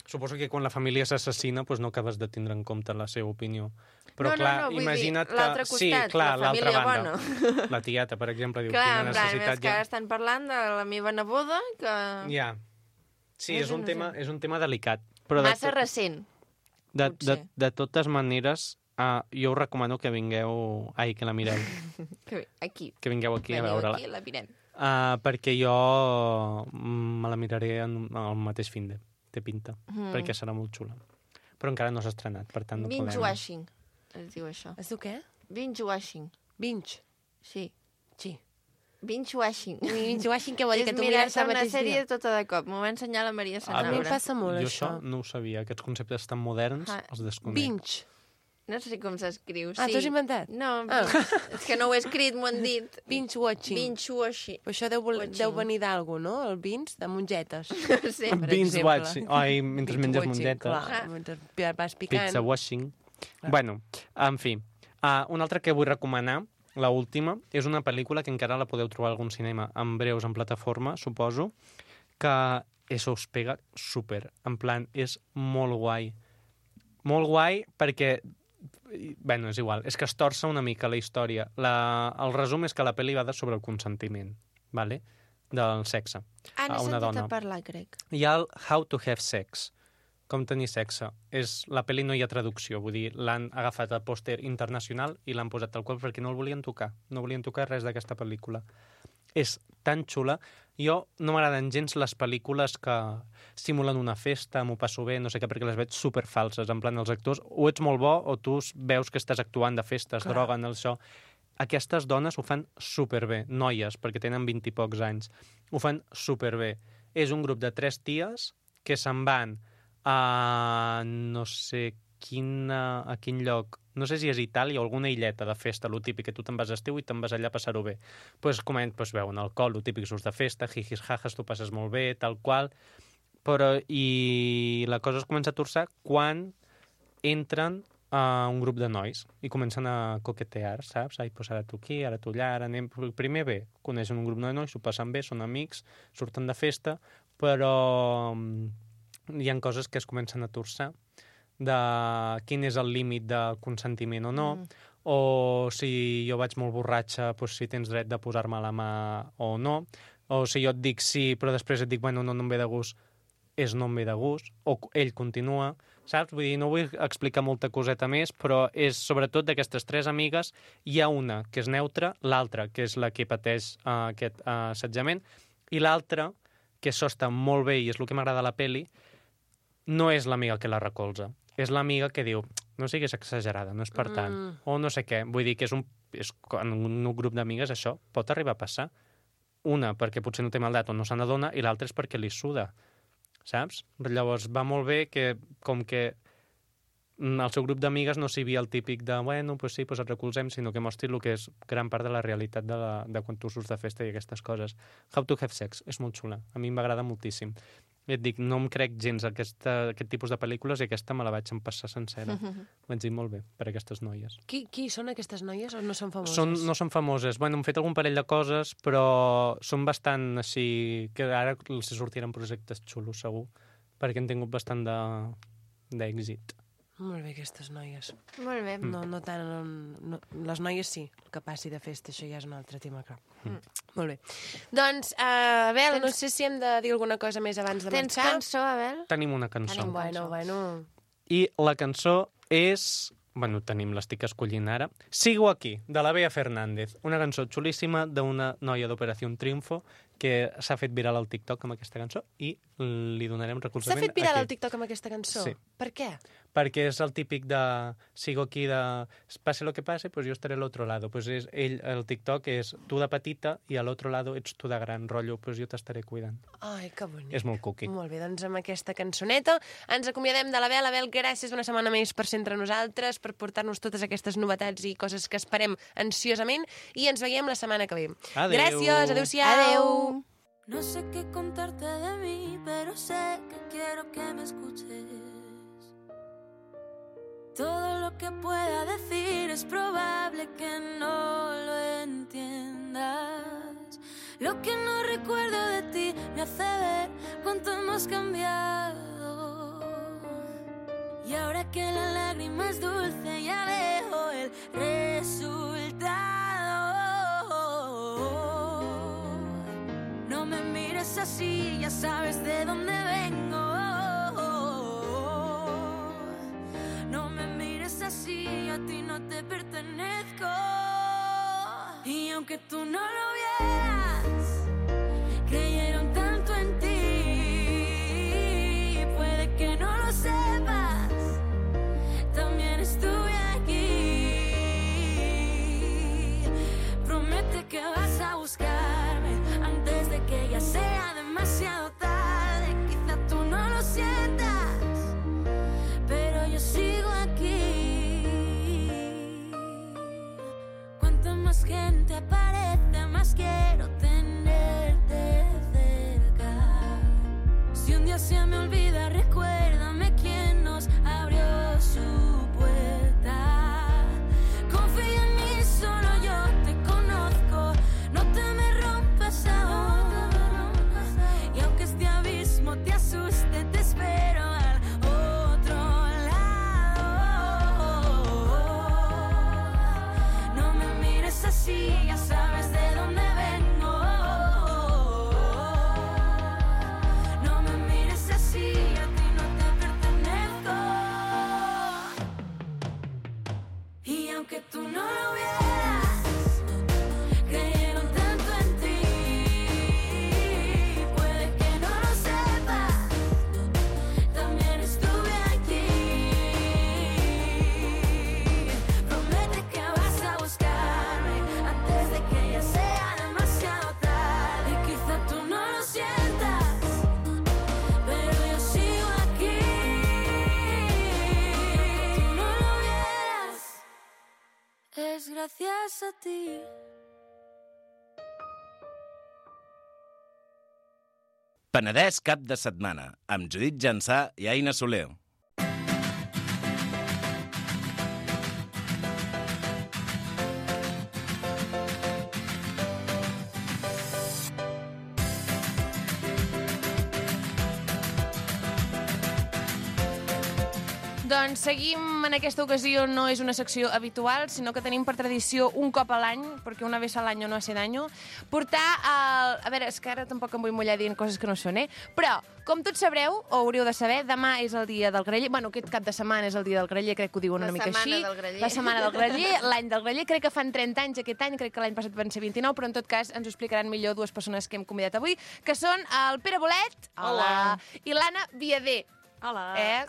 suposo que quan la família s'assassina doncs no acabes de tindre en compte la seva opinió. Però No, no, clar, no, vull dir, imagina't que... l'altre sí, costat, clar, la l'altra família banda. bona. La tieta, per exemple, diu, Clar, quina en plan, és necessitat que ja... ara estan parlant de la meva neboda, que... Ja. Sí, És és un, innocent. tema, és un tema delicat. Però de, Massa recent. de, de, potser. de totes maneres, uh, jo us recomano que vingueu... Ai, que la mireu. Que bé, aquí. Que vingueu aquí a Veniu veure-la. aquí i la mirem. Uh, perquè jo mm, me la miraré en, al mateix fin de. Té pinta. Mm. Perquè serà molt xula. Però encara no s'ha estrenat, per tant no podem... Binge-washing, es diu això. Es diu què? Binge-washing, Binge. sí. Sí. Binge-washing. Binge-washing què vol dir? És Que tu mirar-te mires el una mateix sèrie dia? tota de cop. M'ho va ensenyar la Maria A mi em Sanaura. passa molt, jo això. això no ho sabia. Aquests conceptes tan moderns Ah, els desconec. Binge. No sé com s'escriu. Ah, sí. t'ho has inventat? No, Ah. és que no ho he escrit, m'ho han dit. Binge-watching. Binge-washing. Però això deu, vol- Watching. deu venir d'algú, no? El binge, de mongetes. Sí. per Beans exemple. watching. Ai, mentre menges Binge-watching, mongetes. Clar, mentre vas picant. Pizza washing. Bueno, en fi. Uh, una altra que vull recomanar, la última, és una pel·lícula que encara la podeu trobar a algun cinema en breus, en plataforma, suposo, que això us pega super. En plan, és molt guai. Molt guai perquè... Bueno, és igual. És que es torça una mica la història. La... El resum és que la pel·li va de sobre el consentiment, vale? Del sexe. Ah, a n'he una sentit dona. a parlar, crec. Hi ha el How to Have Sex, com tenir sexe. És, la pel·li no hi ha traducció, vull dir, l'han agafat al pòster internacional i l'han posat tal qual perquè no el volien tocar. No volien tocar res d'aquesta pel·lícula. És tan xula. Jo no m'agraden gens les pel·lícules que simulen una festa, m'ho passo bé, no sé què, perquè les veig superfalses. En plan, els actors, o ets molt bo o tu veus que estàs actuant de festes, Clar. droguen, el això. Aquestes dones ho fan superbé, noies, perquè tenen vint i pocs anys. Ho fan superbé. És un grup de tres ties que se'n van a no sé quina, a quin lloc, no sé si és Itàlia o alguna illeta de festa, lo típic, que tu te'n vas a estiu i te'n vas allà a passar-ho bé. Doncs pues, coment, pues, veuen alcohol, lo típic, surts de festa, jijis, jajas, tu passes molt bé, tal qual, però i la cosa es comença a torçar quan entren a un grup de nois i comencen a coquetear, saps? Ai, pues ara tu aquí, ara tu allà, ara anem... Primer bé, coneixen un grup de nois, s'ho passen bé, són amics, surten de festa, però hi ha coses que es comencen a torçar de quin és el límit de consentiment o no, mm. o si jo vaig molt borratxa, doncs si tens dret de posar-me la mà o no, o si jo et dic sí, però després et dic, bueno, no, no em ve de gust, és no em ve de gust, o ell continua, saps? Vull dir, no vull explicar molta coseta més, però és sobretot d'aquestes tres amigues, hi ha una que és neutra, l'altra que és la que pateix uh, aquest uh, assetjament, i l'altra, que això està molt bé i és el que m'agrada a la peli, no és l'amiga que la recolza. És l'amiga que diu, no siguis exagerada, no és per tant. Mm. O no sé què. Vull dir que és un, és, en un grup d'amigues això pot arribar a passar. Una, perquè potser no té maldat o no se n'adona, i l'altra és perquè li suda, saps? Llavors va molt bé que, com que el seu grup d'amigues no s'hi havia el típic de, bueno, pues sí, pues et recolzem, sinó que mostri el que és gran part de la realitat de, la, de quan tu surts de festa i aquestes coses. How to Have Sex, és molt xula. A mi m'agrada moltíssim. I et dic, no em crec gens aquesta, aquest tipus de pel·lícules i aquesta me la vaig empassar sencera. Mm-hmm. Vaig dir molt bé per aquestes noies. Qui, qui són aquestes noies o no són famoses? Són, no són famoses. Bueno, hem fet algun parell de coses, però són bastant així... que ara els sortiran projectes xulos, segur, perquè han tingut bastant d'èxit. Molt bé, aquestes noies. Molt bé. No, no tant... No, les noies sí, el que passi de festa, això ja és un altre tema, clar. Mm. Molt bé. Doncs, uh, Abel, Tens... no sé si hem de dir alguna cosa més abans de Tens marxar. Tens cançó, Abel? Tenim una cançó. Tenim bueno, bueno. I la cançó és... Bueno, tenim, l'estic escollint ara. Sigo aquí, de la Bea Fernández. Una cançó xulíssima d'una noia d'Operació Triunfo que s'ha fet viral al TikTok amb aquesta cançó i li donarem recolzament. S'ha fet viral aquí. al TikTok amb aquesta cançó? Sí. Per què? Perquè és el típic de sigo aquí de pase lo que pase, pues yo estaré al otro lado. Pues és, ell, el TikTok és tu de petita i a l'altre lado ets tu de gran rotllo, pues jo t'estaré cuidant. Ai, que bonic. És molt cuqui. Molt bé, doncs amb aquesta cançoneta ens acomiadem de l'Abel. Abel, gràcies una setmana més per ser entre nosaltres, per portar-nos totes aquestes novetats i coses que esperem ansiosament i ens veiem la setmana que ve. Adeu. Gràcies, adeu-siau. Adeu. No sé qué contarte de mí, pero sé que quiero que me escuches. Todo lo que pueda decir es probable que no lo entiendas. Lo que no recuerdo de ti me hace ver cuánto hemos cambiado. Y ahora que la lágrima es dulce ya veo el resultado. No me mires así, ya sabes de dónde vengo. No me mires así, a ti no te pertenezco. Y aunque tú no lo vieras, creyeron tanto en ti. Puede que no lo sepas, también estuve aquí. Promete que vas a buscarme antes de que ya sea demasiado tarde. Quizá tú no lo sientas, pero yo sigo aquí. Cuanta más gente aparece, más quiero tenerte cerca. Si un día se me olvida, recuérdame quién nos abrió su puerta. Confía en mí, solo yo te conozco. No te me rompas ahora. Y aunque este abismo te asuste, te espero al otro lado. No me mires así, ya sabes de dónde vengo. No me mires así, a ti no te pertenezco. Y aunque tú no lo vieras, creyeron tanto en ti. Puede que no lo sepas, también estuve aquí. Promete que vas a buscarme antes de que ya sea demasiado tarde. Quizá tú no lo sientas, pero yo sigo aquí. Tú no lo vieras, es gracias a ti. Penedès cap de setmana, amb Judit Jansà i Aina Soler. Doncs seguim en aquesta ocasió, no és una secció habitual, sinó que tenim per tradició un cop a l'any, perquè una vez al año no hace daño, portar el... A veure, és que ara tampoc em vull mullar dient coses que no són, eh? Però, com tots sabreu, o hauríeu de saber, demà és el dia del graller. Bueno, aquest cap de setmana és el dia del graller, crec que ho diuen una La mica setmana així. del graller. La setmana del graller, l'any del graller. Crec que fan trenta anys aquest any, crec que l'any passat van ser vint-i-nou, però en tot cas ens ho explicaran millor dues persones que hem convidat avui, que són el Pere Bolet Hola. i l'Anna Viader. Hola. Eh?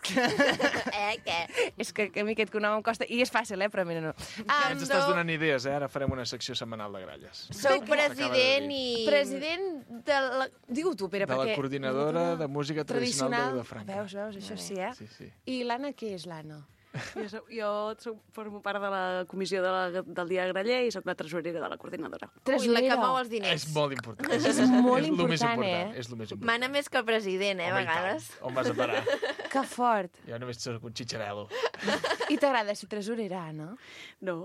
Eh, què? És que, que a mi aquest cognom em costa... I és fàcil, eh? Però mira, no. Ja ens estàs donant idees, eh? Ara farem una secció setmanal de gralles. Sou president i... President de la... Digue-ho tu, Pere, De la perquè... coordinadora de música tradicional de Vilafranca. Veus, veus, això sí, eh? Sí, sí. I l'Anna, què és l'Anna? Jo, soc, jo soc, formo part de la comissió de la, del Dia Graller i sóc la tresorera de la coordinadora. Ui, la que mou els diners. És molt important. És molt és lo més important, important, eh? És lo més important. Mana més que el president, eh, a Home, i tant. vegades. On vas a parar? Que fort. Jo només soc un xitxarelo. I t'agrada ser tresorera, Anna? No.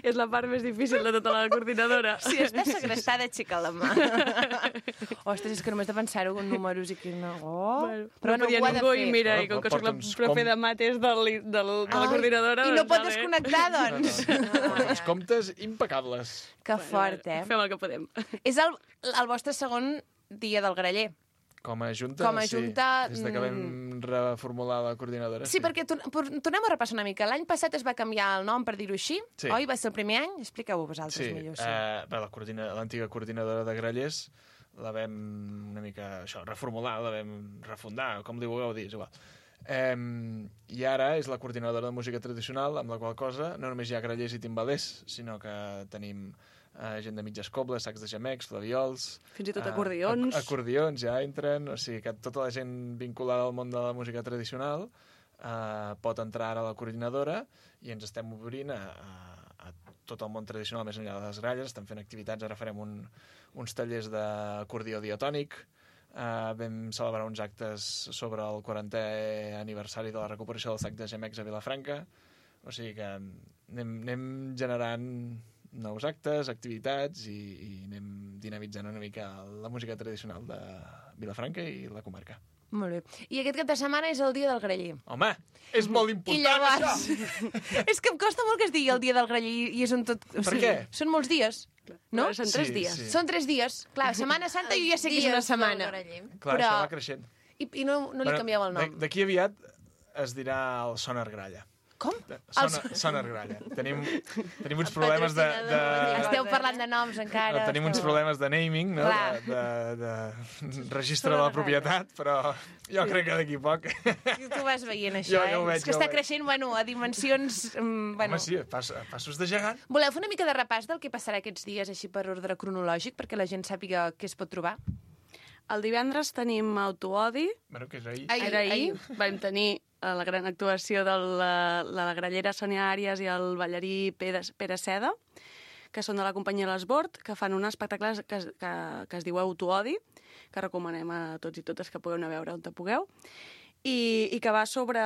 És la part més difícil de tota la coordinadora. Si estàs segrestada, aixeca la mà. Ostres, és que només de pensar-ho amb números i que no... Oh. Bueno, però no podia ho ha de ningú fer. i mira, i Bueno, com que sóc la porta uns profe com- de mates del, del, de la coordinadora... I no doncs, pot vale. desconnectar, doncs. Porta uns comptes impecables. Que fort, eh? Fem el que podem. És el, el vostre segon dia del graller. Com a junta, Com a sí. junta, Des de que vam reformular la coordinadora. Sí, perquè tor por- tornem a repassar una mica. L'any passat es va canviar el nom, per dir-ho així, Sí. oi? Va ser el primer any? Expliqueu-ho vosaltres Sí, millor. sí. Eh, bé, la coordina- l'antiga coordinadora de grallers la vam una mica això, reformular, la vam refundar, com li vulgueu dir, és igual. Eh, I ara és la coordinadora de música tradicional, amb la qual cosa no només hi ha grallers i timbalers, sinó que tenim eh, gent de mitges cobles, sacs de gemecs, flaviols... Fins i tot eh, acordions. ac acordions ja entren, o sigui que tota la gent vinculada al món de la música tradicional eh, pot entrar ara a la coordinadora i ens estem obrint a, a, a tot el món tradicional més enllà de les gralles, estem fent activitats, ara farem un, uns tallers d'acordió diatònic, uh, vam celebrar uns actes sobre el quarantè aniversari de la recuperació del sac de gemecs a Vilafranca, o sigui que anem, anem generant nous actes, activitats i, i anem dinamitzant una mica la música tradicional de Vilafranca i la comarca. Molt bé. I aquest cap de setmana és el dia del graller. Home, és molt I important, llavors... això! és que em costa molt que es digui el dia del graller i, i és un tot... O Per sigui, què? Són molts dies, no? Són tres Sí, dies. sí. Són tres dies. Clar, Setmana Santa jo ja sé que és una Dies del setmana. graller. Clar, Però- això va creixent. I, i no, no li canvieu el nom. D'aquí aviat es dirà el Sonar Gralla. Com? Sonar, Sonar Gralla. Tenim, tenim uns problemes de... de... Esteu parlant de noms encara. No, tenim uns esteu- problemes de naming, no? Clar. De, de, de registre de la propietat, però jo crec que d'aquí poc... Tu vas veient això, Jo- eh? jo ho veig, és que jo ho està veig. creixent, bueno, a dimensions... Um, bueno. Home, sí, pas, passos de gegant. Voleu fer una mica de repàs del que passarà aquests dies, així per ordre cronològic, perquè la gent sàpiga què es pot trobar? El divendres tenim Autoodi. Bueno, que és ahir. Ai, Era ahir. ahir. Vam tenir eh, la gran actuació de la, la grallera Sònia Àrias i el ballarí Pere, Pere Seda, que són de la companyia L'Esbord, que fan un espectacle que, es- que, que es diu Autoodi, que recomanem a tots i totes que pugueu anar a veure on te pugueu, i, i que va sobre,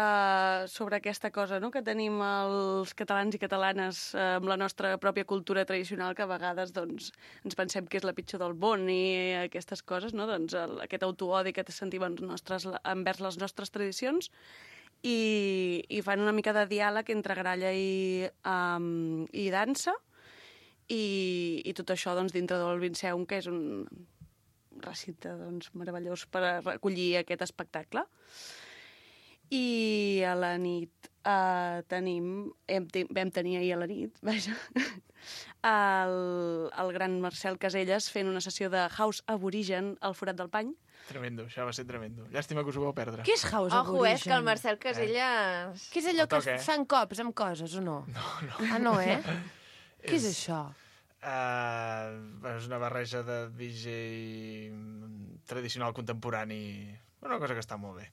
sobre aquesta cosa, no?, que tenim els catalans i catalanes eh, amb la nostra pròpia cultura tradicional, que a vegades doncs, ens pensem que és la pitjor del món i aquestes coses, no? Doncs el, aquest autoodi que sentim en nostres, envers les nostres tradicions, i, i fan una mica de diàleg entre gralla i, um, i dansa, i, i tot això doncs, dintre del Vinceum, que és un recinte doncs, meravellós per a recollir aquest espectacle. I a la nit eh, tenim, hem, te- vam tenir ahir a la nit, vaja, el, el gran Marcel Caselles fent una sessió de house aborigen al Forat del Pany. Tremendo, això va ser tremendo. Llàstima que us ho vau perdre. Què és house Ojo, eh, que el aborigen? Marcel Caselles... Què és allò El que toc, eh? es fan cops amb coses, o no? No, no. Ah, no, eh? Què és això? Uh, és una barreja de D J tradicional contemporani. Una cosa que està molt bé.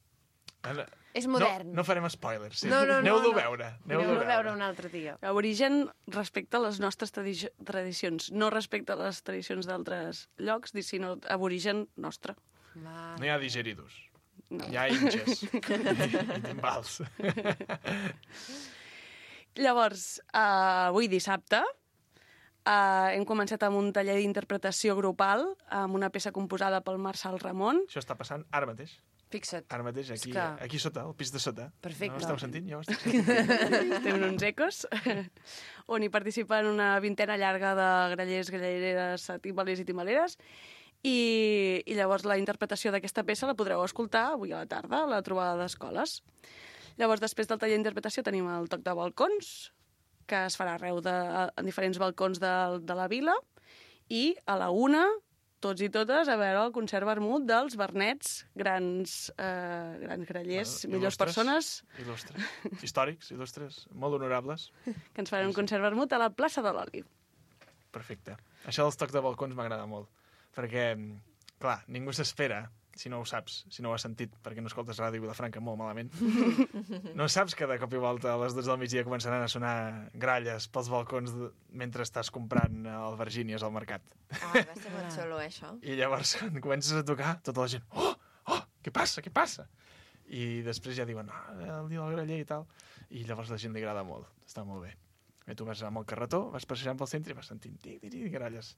Ara- És modern. No, no farem spoilers. Sí. No, no, no, Aneu-lo no. a veure. Aneu-lo Aneu-lo a a veure un altre dia. Aborigen respecte a les nostres tradi tradicions, no respecte a les tradicions d'altres llocs, sinó aborigen nostre. Va. No hi ha digeridos. No. Hi ha inches. I timbals. Llavors, uh, avui dissabte, uh, hem començat amb un taller d'interpretació grupal amb una peça composada pel Marçal Ramon. Això està passant ara mateix. Fixa't. Ara mateix, aquí, És que- aquí sota, al pis de sota. Perfecte. No esteu sentint? Jo ho estic sentint. Estem en uns ecos, on hi participen una vintena llarga de grallers, gallereres, timbalers i timbaleres. I, I llavors la interpretació d'aquesta peça la podreu escoltar avui a la tarda, a la trobada d'escoles. Llavors, després del taller d'interpretació tenim el toc de balcons, que es farà arreu de, en diferents balcons de, de la vila, i a la una tots i totes a veure el concert vermut dels Bernets, grans, eh, grans grallers, Bueno, millors il·lustres. persones, Il·lustres. Històrics, il·lustres, molt honorables. que ens faran un concert vermut a la plaça de l'Oli. Perfecte. Això dels tocs de balcons m'agrada molt, perquè, clar, ningú s'espera, si no ho saps, si no ho has sentit, perquè no escoltes Ràdio Vilafranca molt malament, no saps que de cop i volta a les dotze del migdia començaran a sonar gralles pels balcons de... mentre estàs comprant albergínies al mercat. Ah, va ser molt xulo, això. I llavors, quan comences a tocar, tota la gent, oh, oh, què passa, què passa? I després ja diuen, ah, el dia del graller i tal. I llavors la gent li agrada molt, està molt bé. I tu vas amb el carretó, vas passejant pel centre i vas sentint tic, tic, tic, gralles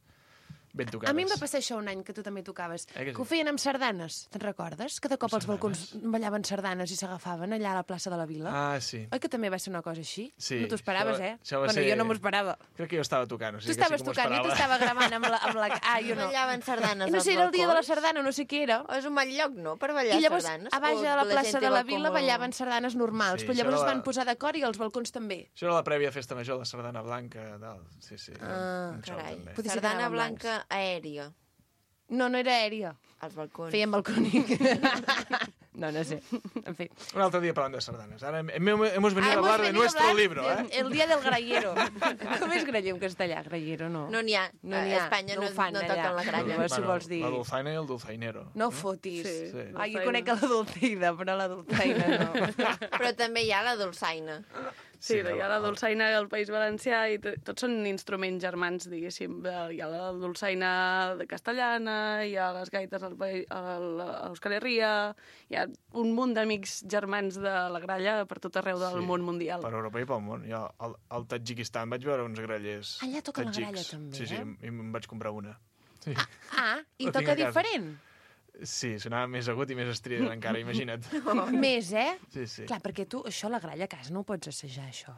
ben tocades. A mi em va passar això un any, que tu també tocaves, Eh, que sí? que ho feien amb sardanes, te'n recordes? Que de cop als balcons ballaven sardanes i s'agafaven allà a la plaça de la Vila. Ah, sí. Oi que també va ser una cosa així? Sí, No t'ho esperaves, això va- eh? això va Bueno, ser- jo no m'ho esperava. Crec que jo estava tocant, o Tu sigui estaves que sí que m'ho tocant, jo esperava. t'estava gravant amb la, amb la... Ah, jo no. Ballaven sardanes I no sé, als era el dia de la balcons? sardana, no sé què era. O és un mal lloc, no?, per ballar I llavors, sardanes. a baix O a la gent plaça té de la balcó Vila molt- ballaven sardanes normals, Sí, però això llavors es era van la- posar d'acord i als balcons també. Això era la prèvia festa major, la sardana blanca, tal. Sí, sí. Ah, un show, carai. també. Potser sí que Sardana anaven blanca aèria, No, no era aèria. als balcons. Feien balcònic. No, no sé. En fi. Un altre dia parlant de sardanes. Ara hem, hem, hemos venido Ah, a hablar de venido a nuestro hablar libro, del- eh? El dia del grallero. Com és graller en castellà? Grallero, no. No n'hi ha. No n'hi ha. A Espanya no, ho fan no allà. toquen la gralla. No, si vols dir. La dulzaina i el dulzainero. No fotis. Sí. Sí. Ai, jo conec la dulceida, però la dulceina no. Però també hi ha la dolçaina. Sí, Sí, hi ha la dolçaina al País Valencià i t- tots són instruments germans, diguéssim. Hi ha la dolçaina castellana, hi ha les gaites al país, a l'Euskal Herria, hi ha un munt d'amics germans de la gralla per tot arreu del Sí, món mundial. Per Europa i pel món. Jo al, al Tadjikistan vaig veure uns grallers Allà toquen la tadjics. gralla, també, Sí, sí, eh? i em vaig comprar una. Sí, Ah, i Ho tinc toca a casa. diferent. sí sonava més agut i més estrident encara, imagina't. Més, eh? Sí, sí. Clar, perquè tu això, la gralla a casa, no ho pots assajar, això.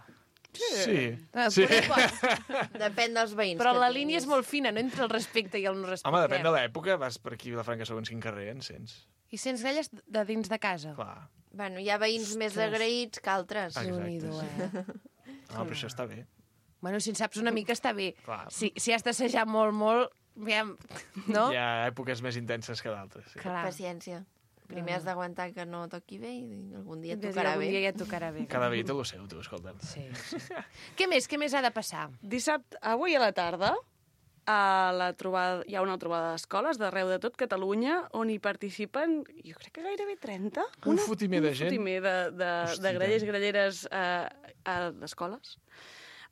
Sí. Ah, sí. poder pots. Depèn dels veïns Però que la tinguis. línia és molt fina, no entre el respecte i el no respecte. Home, depèn de l'època. Vas per aquí a Vilafranca segons quin carrer, en sents. I sents gralles de dins de casa. Clar. Bueno, hi ha veïns més agraïts que altres. Exacte, Déu-n'hi-do, eh? No, però això està bé. Bueno, si en saps una mica està bé. Clar. Si, si has d'assajar molt, molt, aviam, no? Hi ha èpoques més intenses que d'altres. Sí. Clar. Paciència. Primer has d'aguantar que no toqui bé i algun dia et Des tocarà algun bé. dia ja et tocarà bé. Cada veí té el seu, tu, escolta'm. Sí, sí. Què més? Què més ha de passar? Dissabte, avui a la tarda, a la trobada, hi ha una trobada d'escoles d'arreu de tot Catalunya on hi participen, jo crec que gairebé trenta. Un fotimer de gent. Un fotimer de, de, Hosti, de grallers i tant. gralleres eh, a d'escoles.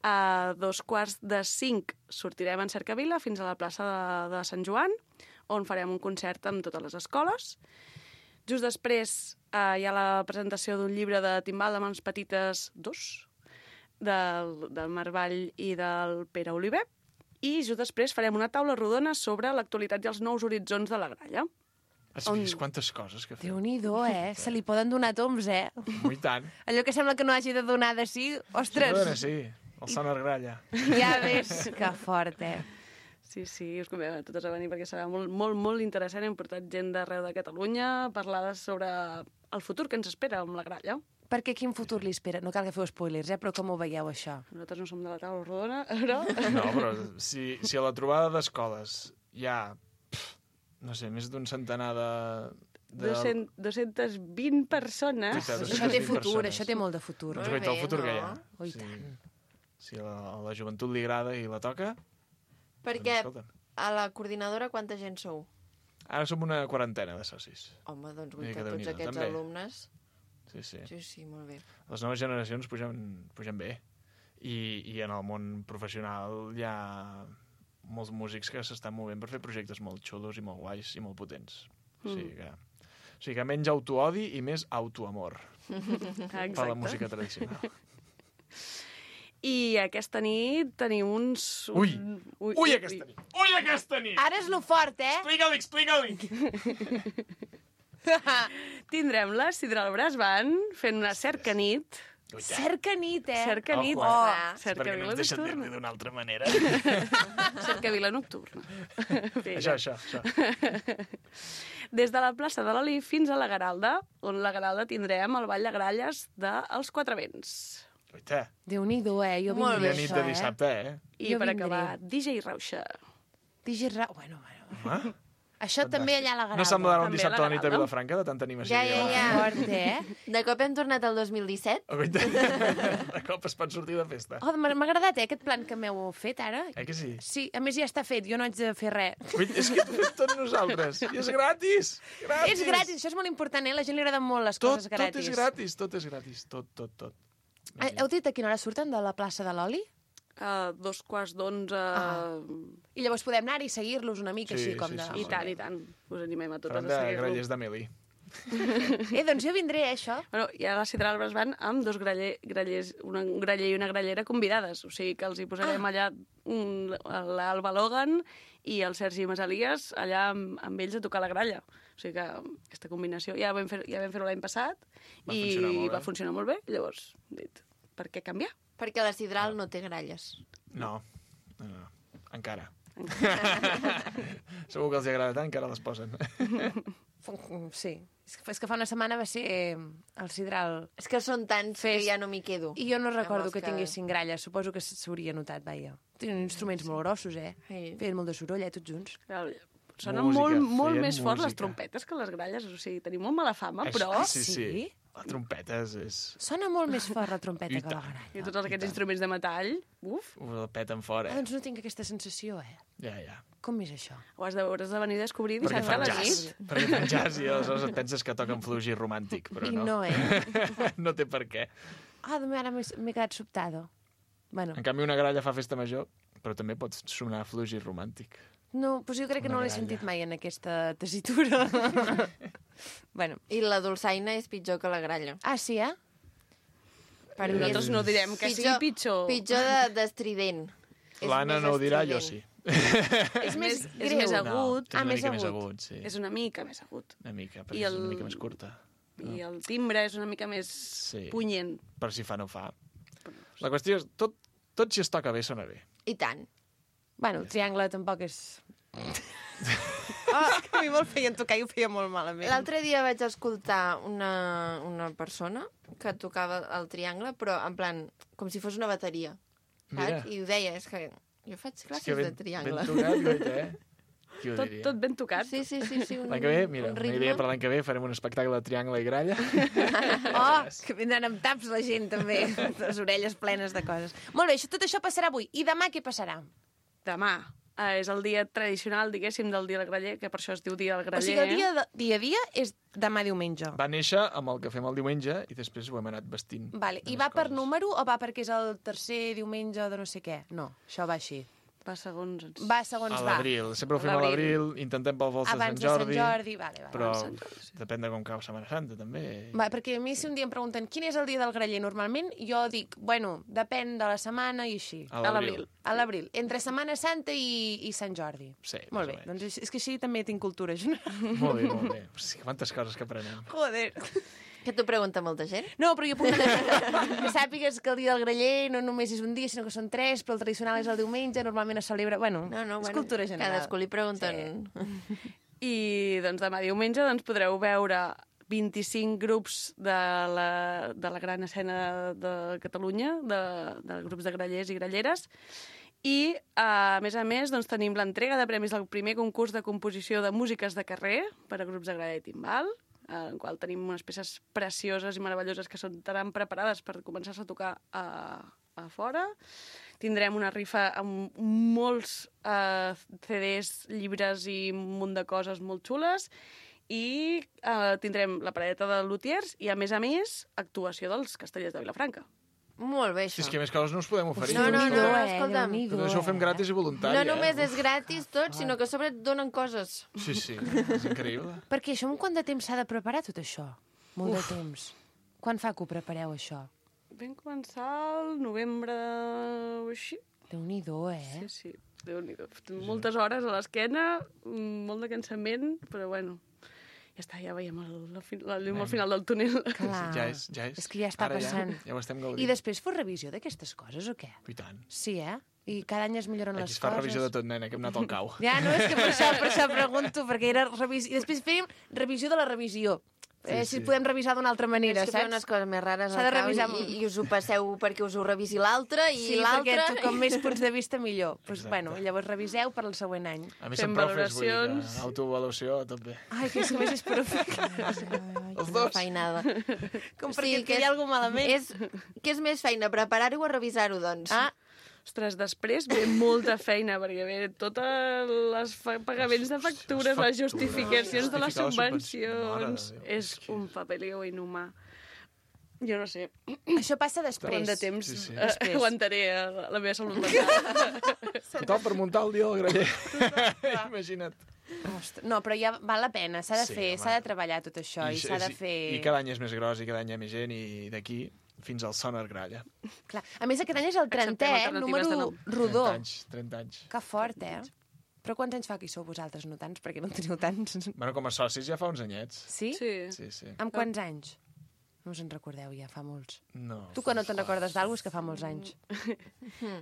A dos quarts de cinc sortirem en Cercavila fins a la plaça de, de Sant Joan, on farem un concert amb totes les escoles. Just després eh, hi ha la presentació d'un llibre de Timbal de Mans Petites dos, del, del Marvall i del Pere Oliver, i just després farem una taula rodona sobre l'actualitat i els nous horitzons de la gralla. Has vist quantes coses que fem? Déu-n'hi-do, eh? Se li poden donar toms, eh? Ui, tant. Allò que sembla que no hagi de donar de sí, ostres, Perdona, sí. El sonar gralla. ja ves que fort, eh? Sí, sí, us convidem a totes a venir perquè serà molt, molt, molt interessant. Hem portat gent d'arreu de Catalunya a parlar sobre el futur que ens espera amb la gralla. Perquè quin futur li espera? No cal que feu spoilers, eh? Però com ho veieu, això? Nosaltres no som de la taula rodona, però... No, però si, si a la trobada d'escoles hi ha, pff, no sé, més d'un centenar de... de... dues-centes vint persones. Veritat, Això té vint futur, persones. això té molt de futur. Doncs Molt guaita el bé, futur no? que hi ha. Ui, Si, tant. si a la, a la joventut li agrada i la toca, Perquè doncs, escolta. a la coordinadora quanta gent sou? Ara som una quarantena de socis. Home, doncs Vull dir guaita, que tots Déu-n'hi-do, aquests també. alumnes... Sí, sí. Sí, sí, molt bé. Les noves generacions pugen, pugen bé. I, I en el món professional hi ha molts músics que s'estan movent per fer projectes molt xulos i molt guais i molt potents. O sigui que, o sigui que menys autoodi i més autoamor per la música tradicional. I aquesta nit tenim uns... Un... Ui! Ui, aquesta nit! Ui, aquesta nit! Ara és lo fort, eh? Explica-li, explica-li! Tindrem la Sidral Brass Band fent una cercanit. Cercanit, eh? Cercanit. Ojo, Oh, eh? Perquè no cercavila ens deixen nocturna. dir-li d'una altra manera. Cercavila nocturna. Bé, Això, això, això. Des de la plaça de l'Oli fins a la Garalda, on la Garalda tindrem el Ball de Gralles dels Quatre Vents. Oita, Déu-n'hi-do, eh? Jo Molt vindré la nit això, de dissabte, eh? I Jo per vindré. acabar, D J Rauxa. D J Ra... Bueno, bueno. Home, Això també allà a la Gralda. No semblarà un També dissabte a a la la nit a Gralda. Vilafranca, de tanta animació. Ja, que hi ja, ha. ja. Fort, eh? De cop hem tornat al dos mil disset. Oh, de cop es pot sortir de festa. Oh, m'ha m'ha agradat, eh, aquest plan que m'heu fet ara. Eh que sí? Sí, a més ja està fet, jo no haig de fer res. Ui, és que ho fem tots nosaltres. I és gratis! Gratis! És gratis, això és molt important, eh? A la gent li agraden molt les Tot, coses tot gratis. és gratis, tot és gratis. Tot, tot, tot. Eh, Heu dit a quina hora surten de la plaça de l'Oli? A dos quarts d'onze... Ah. I llavors podem anar i seguir-los una mica Sí, així com sí, de... sí, I tant, i tant. Us animem a totes Farem a de seguir-lo. grallers de Meli. Eh, doncs jo vindré, eh, això. Bueno, i a la Cidralbes van amb dos graller, grallers, una, un graller i una grallera convidades. O sigui que els hi posarem Ah. allà un, l'Alba Logan i el Sergi Masalies allà amb, amb ells a tocar la gralla. O sigui que aquesta combinació ja vam fer, ja vam fer-ho l'any passat Va i funcionar molt bé. va funcionar molt bé. Llavors, hem dit, per què canviar? Perquè la Sidral no té gralles. No, no, no. Encara. Segur que els agrada tant que ara les posen. Sí. És que, és que fa una setmana va ser eh, el Sidral... És que són tants Fes- que ja no m'hi quedo. I jo no recordo els que que- tinguessin gralles. Suposo que s'hauria notat, vaja. Tenen instruments molt grossos, eh? Sí. Feien molt de soroll, eh, tots junts. Sonen Música, molt, molt feien més fort les música. trompetes que les gralles. O sigui, tenim molt mala fama, Això- però... Sí, sí. La trompeta és... és... Sona molt més fort la trompeta I que la tant. gralla. I tots aquests instruments de metall, uf, Ho el peten fora. Ah, doncs no tinc aquesta sensació, eh? Ja, ja. Com és això? ho has de, hauràs de venir a descobrir Perquè dissabte a fan la jazz. nit. Perquè fan jazz i aleshores et penses que toquen fluixi romàntic, però I no. no, eh? No té per què. Ah, doncs ara m'he m'he quedat sobtado. Bueno, En canvi, una gralla fa festa major, però també pot sonar fluixi romàntic. no, doncs jo crec que Una no l'he gralla. sentit mai en aquesta tessitura. Bueno, I la dolçaina és pitjor que la gralla. ah, sí, eh? Per mi Nosaltres és no direm que sigui pitjor. Pitjor de- d'estrident. És L'Anna més no ho dirà, jo estrident. sí. És més és greu. més agut. No, Ah, una més mica més agut. agut, sí. És una mica més agut. Una mica, però I és el- una mica més curta. I el timbre és una mica més Sí. punyent. Per si fa, no fa. La qüestió és, tot, tot si es toca bé, sona bé. I tant. Bueno, el triangle tampoc és... Oh, és que a mi me'l feien tocar i ho feia molt malament. L'altre dia vaig escoltar una, una persona que tocava el triangle, però en plan, com si fos una bateria. Mira. Saps? I ho deia, és que jo faig És classes que ben, de triangle. ben tocat, guaita, eh? Qui ho Tot, diria? tot ben tocat. Sí, sí, sí. sí un, L'any que ve, mira, un una ritme. idea per l'any que ve, farem un espectacle de triangle i gralla. Oh, que vindran amb taps la gent, també. Les orelles plenes de coses. Molt bé, això, tot això passarà avui. I demà què passarà? Demà eh, és el dia tradicional, diguéssim, del dia del graller, que per això es diu dia del O graller. sigui, el dia, de, dia a dia és demà diumenge. Va néixer amb el que fem el diumenge i després ho hem anat vestint. Vale. de I més va per coses. número o va perquè és el tercer diumenge de no sé què? No, això va així. Va segons... ens- Va segons A va. l'abril. Sempre ho fem a L'abril. l'abril, intentem pel vols de Abans Sant de Sant Jordi. Jordi, vale, vale. Però Sant Jordi, sí. depèn de com cau Setmana Santa, també. Va, perquè a mi si un dia em pregunten quin és el dia del graller normalment, jo dic, bueno, depèn de la setmana i així. A l'abril. A l'abril. Entre Setmana Santa i, i Sant Jordi. Sí, Molt bé, més o menys. doncs és, és que així també tinc cultura general. Molt bé, molt bé. Hosti, quantes coses que aprenem. Joder. Que t'ho pregunta molta gent? No, però jo puc anar... que sàpigues que el dia del graller no només és un dia, sinó que són tres, però el tradicional és el diumenge, normalment es celebra... Bueno, No, no, és bueno, cultura general. cadascú li pregunten. I doncs demà diumenge doncs, podreu veure vint-i-cinc grups de la, de la gran escena de Catalunya, de, de grups de grallers i gralleres, i, a més a més, doncs, tenim l'entrega de premis del primer concurs de composició de músiques de carrer per a grups de gralla i timbal, en el qual tenim unes peces precioses i meravelloses que són tan preparades per començar-se a tocar a, a fora. Tindrem una rifa amb molts eh, C Ds, llibres i un munt de coses molt xules, i eh, tindrem la paradeta de lutiers i, a més a més, actuació dels Castellers de Vilafranca. Molt bé, Si això. és que més coses no us podem oferir. No, no, no, Déu-n'hi-do, eh? escolta'm. Déu-n'hi-do, Tot això ho fem eh? gratis i voluntari, No eh? només és gratis tot, sinó que a sobre et donen coses. Sí, sí, és increïble. Perquè això, en quant de temps s'ha de preparar tot això? Molt de temps. Quan fa que ho prepareu, això? Vam començar el novembre o així. Déu-n'hi-do, eh? Sí, sí, Déu-n'hi-do. Moltes hores a l'esquena, molt de cansament, però bueno, ja està, ja veiem el, la, fi- la llum al final del túnel. Clar. Ja és, ja és. És que ja està Ara passant. Ja, ja ho estem gaudint. I després fos revisió d'aquestes coses, o què? I tant. Sí, eh? I cada any es milloren Aquí les es fa coses. revisió de tot, nena, que hem anat al cau. Ja, no, és que per això, per això pregunto, perquè era revisió... I després fèiem revisió de la revisió. Eh, si podem revisar d'una altra manera, és que saps? feu unes coses més rares S'ha de al cap revisar... i, i us ho passeu perquè us ho revisi l'altre i Sí, l'altre... perquè com més punts de vista millor. Pues, Exacte. bueno, llavors reviseu per al següent any. A mi Fem són profes, vull dir que valoracions. autoavaluació tot bé. Ai, que és que més és profe. Els dos. Feinada. Com perquè et quedi alguna malament. És, què és més feina, preparar-ho o revisar-ho, doncs? Ah, Ostres, després ve molta feina, perquè ve totes les fa- pagaments de factures, les justificacions de les Justificar les subvencions... subvencions. Mare de Déu, És un papeleo inhumà. Jo no sé, això passa després. quant de temps Sí, sí. eh, aguantaré eh, la meva salut mental. Total per muntar el dia del graller. Imagina't. Ostres, no, però ja val la pena, s'ha de Sí, fer, home. s'ha de treballar tot això i, s'ha de sí, fer... I cada any és més gros i cada any hi ha més gent i d'aquí fins al Sonar Gralla. Clar. A més, aquest any és el trentè, eh? alternatives de Número nom. rodó. trenta anys, trenta anys. Que fort, eh? Però quants anys fa que hi sou vosaltres, no tants? Perquè no en teniu tants. Bueno, com a socis ja fa uns anyets. Sí? Sí. Sí, sí. Amb quants anys? No us en recordeu, ja fa molts. No. Tu que no te'n recordes d'algú és que fa molts anys.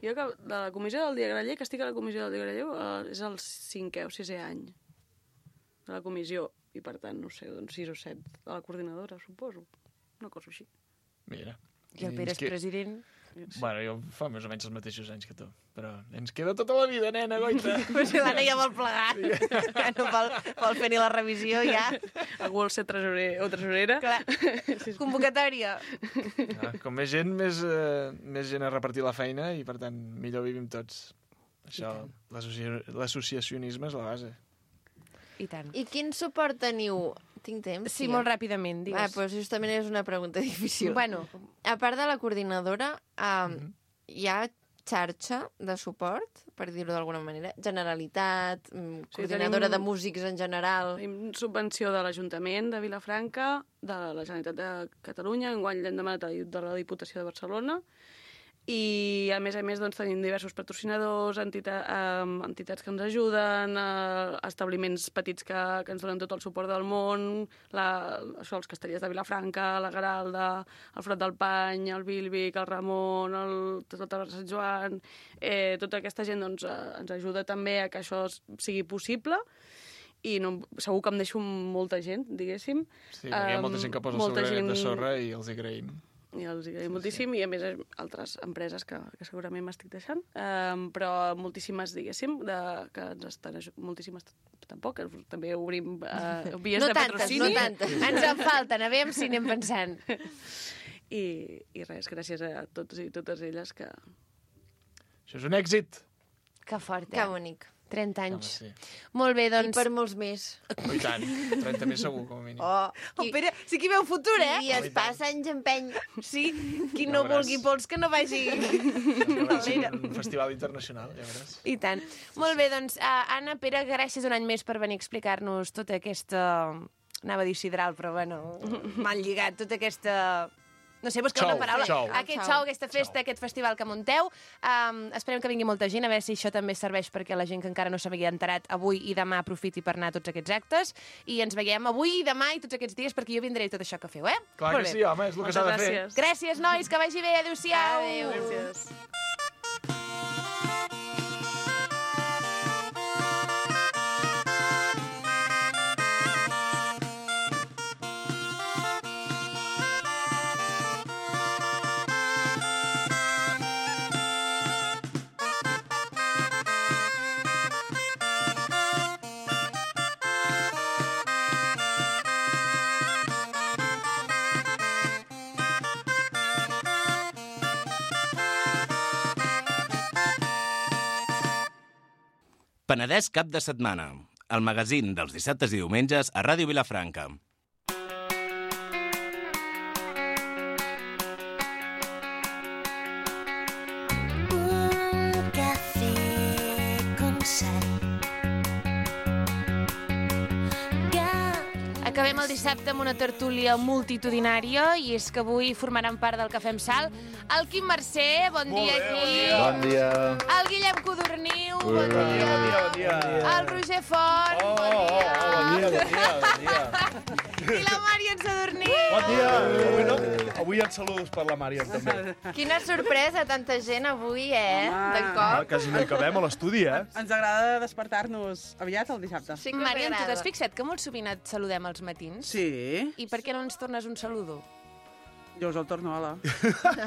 Jo que de la comissió del dia Graller, que estic a la comissió del dia Graller, eh, és el cinquè o sisè any de la comissió. I per tant, no sé, doncs sis o set de la coordinadora, suposo. Una cosa així. Mira. I el Pere és que... president. Bueno, jo fa més o menys els mateixos anys que tu. Però ens queda tota la vida, nena, goita. Però si l'Anna ja vol plegar. Ja no vol, vol fer ni la revisió, ja. Algú vol ser tresorer o tresorera. Clar. Convocatòria. Ah, com més gent, més, eh, més gent a repartir la feina i, per tant, millor vivim tots. Això, l'associ- l'associacionisme és la base. I tant. I quin suport teniu? Tinc temps? Sí, molt ràpidament, Ah, digues. doncs justament és una pregunta difícil. Bueno, A part de la coordinadora, um, hi ha xarxa de suport, per dir-ho d'alguna manera? Generalitat, mm, Sí, coordinadora tenim- de músics en general... Tenim subvenció de l'Ajuntament de Vilafranca, de la Generalitat de Catalunya, enguany l'hem demanat de la Diputació de Barcelona, i a més a més doncs, tenim diversos patrocinadors, entita, eh, entitats que ens ajuden, eh, establiments petits que, que ens donen tot el suport del món, la, això, els castellers de Vilafranca, la Garalda, el Frot del Pany, el Bílbic, el Ramon, el, tot el Sant Joan... Eh, tota aquesta gent doncs, eh, ens ajuda també a que això sigui possible, i no, segur que em deixo molta gent, diguéssim. Sí, hi ha molta gent que posa el seu granet gent... de sorra i els hi agraïm. I els agraïm sí, moltíssim, sí. I a més altres empreses que, que segurament m'estic deixant, um, però moltíssimes, diguéssim, de, que ens estan ajudant, moltíssimes tampoc, també obrim uh, vies no de tantes, patrocini. No tantes, ens en falten, a veure si anem pensant. I, I res, gràcies a tots i totes elles que... Això és un èxit! Que fort, eh? Que bonic. trenta anys. Home, sí. Molt bé, doncs... I per molts més. Oh, i tant. trenta més segur, com a mínim. Oh, Oh, Pere, sí que hi veu futur, eh? I es passa anys empeny. Sí, qui Ja no veuràs. vulgui pols que no vagi... Un festival internacional, ja veuràs. I tant. Molt bé, doncs, uh, Anna, Pere, gràcies un any més per venir a explicar-nos tota aquesta... Anava a dir sidral, però bueno, mal lligat, tota aquesta... No sé, buscar una Xou, paraula. xou. Aquest Xou. xou, aquesta festa, aquest festival que munteu. Um, esperem que vingui molta gent, a veure si això també serveix perquè la gent que encara no s'havia enterat avui i demà aprofiti per anar a tots aquests actes. I ens veiem avui i demà i tots aquests dies perquè jo vindré i tot això que feu, eh? Clar Molt que bé. sí, home, és el que s'ha de fer. gràcies. Gràcies, nois, que vagi bé. Adéu-siau. Adéu. Gràcies. Penedès cap de setmana, el magazín dels dissabtes i diumenges a Ràdio Vilafranca. Un café con sal. Acabem el dissabte amb una tertúlia multitudinària i és que avui formaran part del Cafè amb Sal el Quim Mercè, bon dia aquí. Bon dia. El Guillem Codorniu, bon Bon dia. dia, bon dia, bon dia. El Roger Font, Oh, bon dia. oh, oh, bon dia, bon dia, bon dia. I la Màrion Sadurní. Bon dia! Avui, no, avui en saludos per la Màrion, també. Quina sorpresa, tanta gent avui, eh? De Ah, cop. quasi no hi acabem a l'estudi, eh? Ens agrada despertar-nos aviat el dissabte. Sí que Màrion, tu m'agrada. t'has fixat que molt sovint et saludem als matins? Sí. I per què no ens tornes un saludo? Jo us el torno, hola.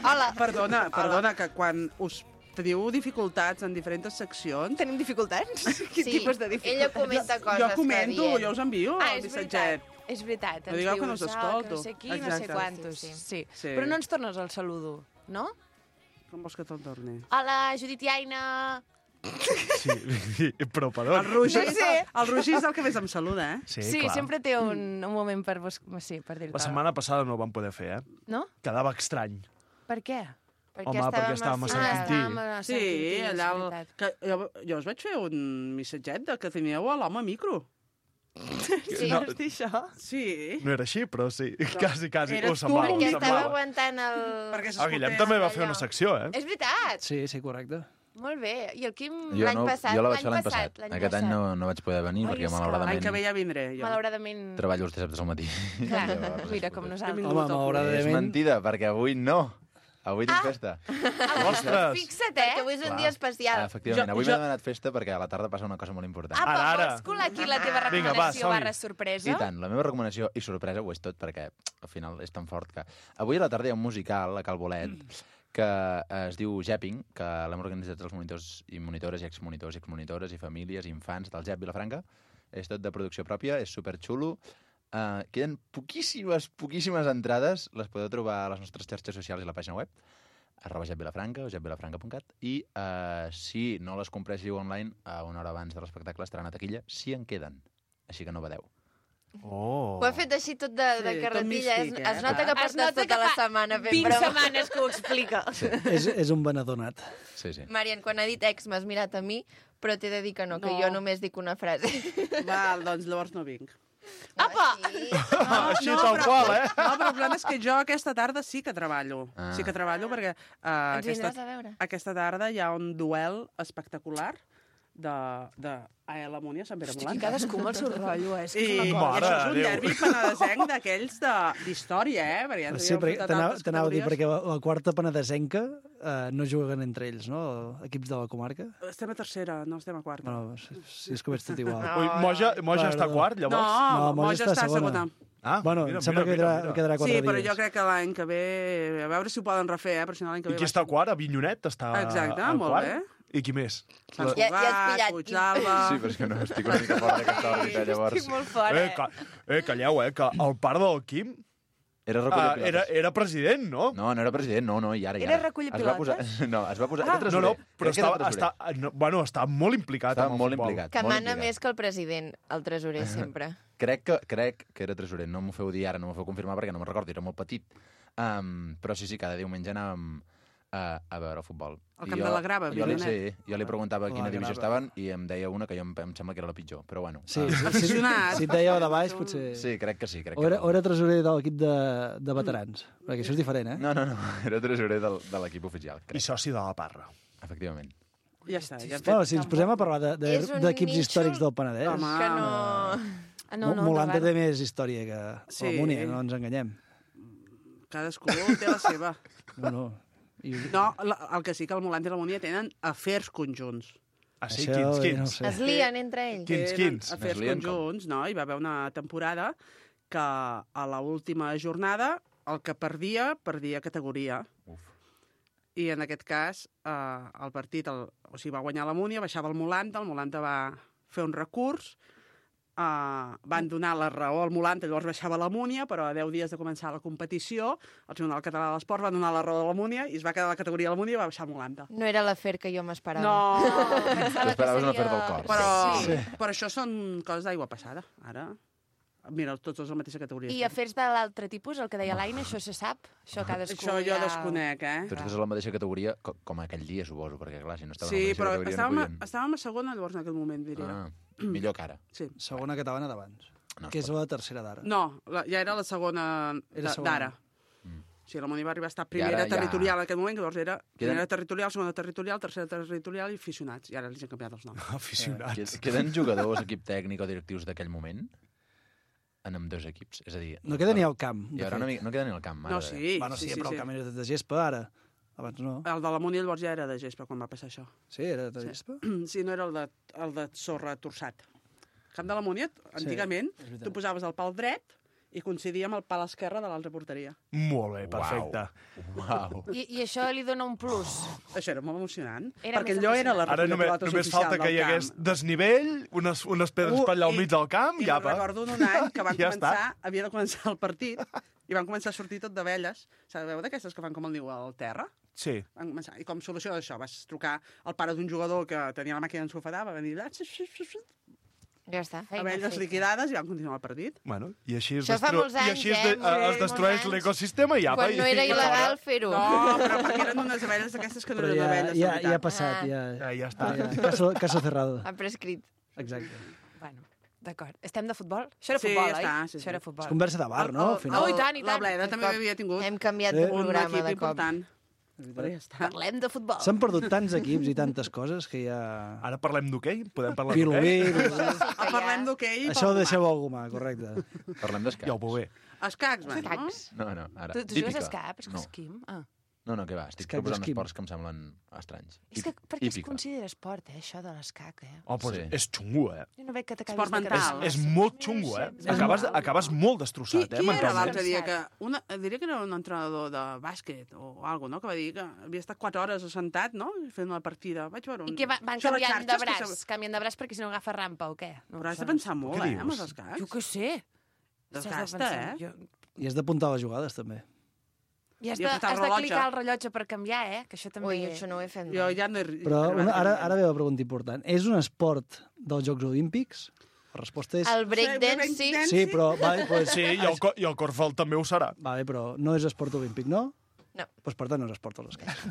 Hola. Perdona, perdona, que quan us teniu dificultats en diferents seccions... Tenim dificultats? Quin Sí, tipus de dificultats? ella comenta coses Jo que comento, dient. jo us envio Ah, el és missatget. veritat. És veritat, No ens digueu dius, que no us ah, que escolto. no sé qui, no sé Exacte. quantos. Sí, Sí, sí. Sí. Però no ens tornes el saludo, no? Com vols que te'l torni? Hola, Judit i Aina. Sí, però per El on? Roger, No sé. el Roger és el que més em saluda, eh? Sí, Sí, clar. sempre té un, un moment per, bus... sí, per dir-te. La setmana passada no ho vam poder fer, eh? No? Quedava estrany. Per què? Perquè Home, perquè estàvem a Sant Ah, Quintí. estàvem a Sant Sí, Quintí, és allà... El, veritat. que, jo, jo us vaig fer un missatget de que teníeu a l'home micro. Sí. No, Vols dir això? Sí. no era així, però sí. Quasi, quasi. Eres Ho semblava, tu. ho Perquè estava semblava. aguantant el... Perquè El Guillem també va fer una secció, eh? És veritat. Sí, sí, correcte. Molt bé. I el Quim Jo, l'any no, passat? jo la vaig fer l'any passat. l'any Aquest any passat. no, no vaig poder venir Ai, perquè és que L'any malauradament que ve ja vindré, jo. Malauradament. treballo els dissabtes al matí. Clar, Llavors, mira, com nosaltres. Vingut Home, al malauradament... És mentida, perquè avui no. Avui tinc festa. Ostres! Fixa't, Perquè eh? avui és un Clar. dia especial. Ah, efectivament, Jo- avui jo- m'he demanat festa perquè a la tarda passa una cosa molt important. Apa, Ara, ara. vols colar aquí la teva Vinga, va, recomanació som-hi. barra sorpresa? I tant, la meva recomanació i sorpresa ho és tot perquè al final és tan fort que... Avui a la tarda hi ha un musical a Cal Bolet que eh, es diu Jepping, que l'hem organitzat els monitors i monitores i exmonitors i exmonitores i famílies i infants del Jep Vilafranca. És tot de producció pròpia, és superxulo. Uh, queden poquíssimes, poquíssimes entrades. Les podeu trobar a les nostres xarxes socials i a la pàgina web arroba jep vilafranca o jep vilafranca punt cat i uh, si no les compréssiu online a una hora abans de l'espectacle estaran a taquilla si en queden. Així que no badeu. Oh. Ho ha fet així tot de, de Sí, carretilla. tot Es, místic, eh? es nota que Es portes nota tota que la fa setmana fent vint broma. setmanes que ho explica. Sí, És, és un venedor nat. sí. sí. Marian, quan ha dit ex m'has mirat a mi, però t'he de dir que no, que No. jo només dic una frase. Val, doncs llavors no vinc. Apa! Sí. Així tal qual, eh? No, però el problema és que jo aquesta tarda sí que treballo. Ah. Sí que treballo perquè uh, Ens aquesta, vindràs a veure. aquesta tarda hi ha un duel espectacular de, de A L Amunt i a Sant Pere Hosti, Molant. cadascú amb el seu rotllo, eh? És que I, és i una cosa. Mare això és de un Déu. derbi penedesenc d'aquells de- d'història, eh? Perquè ja ens Sí, havíem perquè fet a t'anava tantes t'anava a dir, perquè categories. la, la quarta penedesenca eh, no juguen entre ells, no? Equips de la comarca. Estem a tercera, no estem a quarta. Bueno, si, si és que ho veig tot igual. Ui, Moja, Moja està Perdó. quart, No, llavors? No, Moja Moja està està a segona. segona. Ah, Bueno, mira, em sembla mira, que quedarà, mira, mira. quedarà quatre Sí, però dies. jo crec que l'any que ve... A veure si ho poden refer, eh? Però si no l'any que I ve... qui està al quart? Avinyonet està Exacte, al molt quart? bé. I qui més? Sant La- Ja- ja has Cugat, pillat. Puigdalba... Sí, però és que no, estic una mica fora d'aquesta òrbita, llavors. Estic molt fora, Eh, eh? ca... eh, calleu, eh, que el pare del Quim Era uh, recollir era, pilotes. era president, no? No, no era president, no, no, i ara, i Era ara. recollir Es va pilotes? Posar... No, es va posar... Ah, era no, no, tresorer. però Crec que era estava, tresorer. està, no, bueno, estava molt implicat Estava amb el molt futbol. implicat. Que molt mana implicat. més que el president, el tresorer, sempre. Crec que, crec que era tresorer, no m'ho feu dir ara, no m'ho feu confirmar perquè no me'n recordo, era molt petit. Um, però sí, sí, cada diumenge anàvem a, a veure el futbol. Al I Camp jo, de la Grava, jo li, Vilionet. sí, jo li preguntava a quina La divisió Grava. estaven i em deia una que jo em, em sembla que era la pitjor, però bueno. Sí, ah, sí, sí, Aficionat. si et dèieu de baix, potser... sí, crec que sí. Crec O que era, no. o era tresorer de l'equip de, de veterans, perquè això és diferent, eh? No, no, no, era tresorer del, de l'equip oficial, I crec, soci de la Parra. efectivament. Ja està, ja hem Bueno, fet... si ens posem a parlar de- de- És un d'equips nínxol- històrics del Penedès... Home, Que no... Ah, no, no, Molanta no, té més història que Sí. la Múnia, no ens enganyem. Cadascú té la seva. No, no. I, No, la, el que sí que el Molant i la Múnia tenen afers conjunts. Ah, sí? Això Quins, ja quins? no ho sé. Es lien entre ells. Quins, Tenen quins? afers Es lien com? conjunts, no? Hi va haver una temporada que a l'última jornada el que perdia, perdia categoria. Uf. I en aquest cas, eh, el partit, el, o sigui, va guanyar la Múnia, baixava el Molanta, el Molanta va fer un recurs, eh, van donar la raó al Molanta, llavors baixava la Múnia, però a deu dies de començar la competició, el Tribunal Català de l'Esport va donar la raó a la Múnia i es va quedar la categoria de la Múnia i va baixar el Molanta. No era l'afer que jo m'esperava. No, T'esperaves una oferta al cor. però, Sí. però això són coses d'aigua passada, ara. Mira, tots els de la mateixa categoria. I afers de l'altre tipus, el que deia l'Aina, això se sap? Això cadascú Això jo ja... desconec, eh? Tots dos a la mateixa categoria, co- com aquell dia, suposo, perquè, clar, si no estaven Sí, a la però mateixa categoria estàvem, no a, podien... estàvem a segona, llavors, en aquell moment, diria. Ah, millor que ara. Sí. Segona catalana d'abans, No, que és la tercera d'ara. No, la, ja era la segona Era de- segona. d'ara. Mm. O sigui, la Múnia va arribar a estar I primera ara ja- territorial en aquell moment, que llavors era Queden- primera territorial, segona territorial, tercera territorial i aficionats. I ara els han canviat els noms. Aficionats. Qued- Queden jugadors, equip tècnic o directius d'aquell moment? en amb dos equips. És a dir... No queda ni al camp, Hi de haurà una, fet. mica- no queda ni al camp. No, ara. sí. Bueno, sí, sí, però sí, el camp sí. era de gespa, ara. Abans no. El de la Múnia llavors ja era de gespa, quan va passar això. Sí, era de gespa? Sí, no era el de, el de sorra torçat. El camp de la Múnia, antigament, és veritat. tu posaves el pal dret i coincidia amb el pal esquerre de l'altra porteria. Molt bé, perfecte. Uau. I, I això li dona un plus. Això era molt emocionant. Era perquè més allò era la Ara només, pilota només oficial falta que del hi hagués camp. desnivell, unes, unes pedres Uh, per allà al i- mig del camp, I i me'n apa. recordo d'un any que van Ja començar, està. havia de començar el partit, i van començar a sortir tot d'abelles. Sabeu d'aquestes que fan com el niu al terra? Sí. Van començar. I com solució d'això? Vas trucar al pare d'un jugador que tenia la màquina d'ensofadar, va venir allà, Ja està. abelles liquidades, i van continuar el partit. Bueno, i així es, Això fa destru... molts I anys, així es, eh? de... Molts- es molts destrueix anys. l'ecosistema i apa. Quan no i... era i il·legal fora. fer-ho. No, però perquè eren unes abelles d'aquestes que no Però eren ja, abelles, de ja, veritat. ja ha passat, Ah. ja... Ja, ja està. ja, caso, caso cerrado. Ha prescrit. Exacte. Bueno, d'acord. Estem de futbol? Això era Sí, futbol, ja oi? està, sí, Això era sí. futbol. És conversa de bar, no? Al final. Oh, i tant, i La tant. Bleda també havia tingut Hem canviat Eh? de un programa equip de cop. important. Però ja està. Parlem de futbol. S'han perdut tants equips i tantes coses que ja... Ara parlem d'hoquei? Podem parlar Vilobí, d'hoquei? Vilobí. Ah, parlem d'hoquei. Això ho deixeu a algú mà, correcte. Parlem d'escacs. Ja ho veu bé. Escacs, van, no? Escacs. No, no, ara. Tu, tu jugues a Hípica. escacs, No. esquim? Ah. No, no, què va, estic Escacs proposant esquim. esports que em semblen estranys. És que per què es Hípica. considera esport, eh, això de l'escac, eh? Oh, però Sí. és xungo, eh? Jo no veig que t'acabis Esport de mental. quedar. És, és molt xungo, eh? Acabes, acabes molt destrossat, Qui, eh? qui era mentalment. l'altre dia que... Una, diria que era un entrenador de bàsquet o alguna no? Que va dir que havia estat quatre hores assentat, no? Fent una partida. Vaig veure un... I que va, van Això a les canviant de xarxes, que braç, se- canviant de braç perquè si no agafa rampa o què? No, Però has de això no pensar molt, Què eh, amb dius? els escacs. Jo què sé. Desgasta, Has de pensar- eh? Jo... I has d'apuntar les jugades, també. I has I de, apretar el has de rellotge. clicar el rellotge per canviar, eh? Que això també... Ui, això no ho he fet Jo mai. ja no he... Però arribat una, a ara, aquest ara ve la pregunta important. És un esport dels Jocs Olímpics? La resposta és... El breakdance, sí. Sí, però... Vale, pues, Sí, i el, co- i el Corfball també ho serà. Vale, però no és esport olímpic, no? No. Pues per tant no és esport als escacs.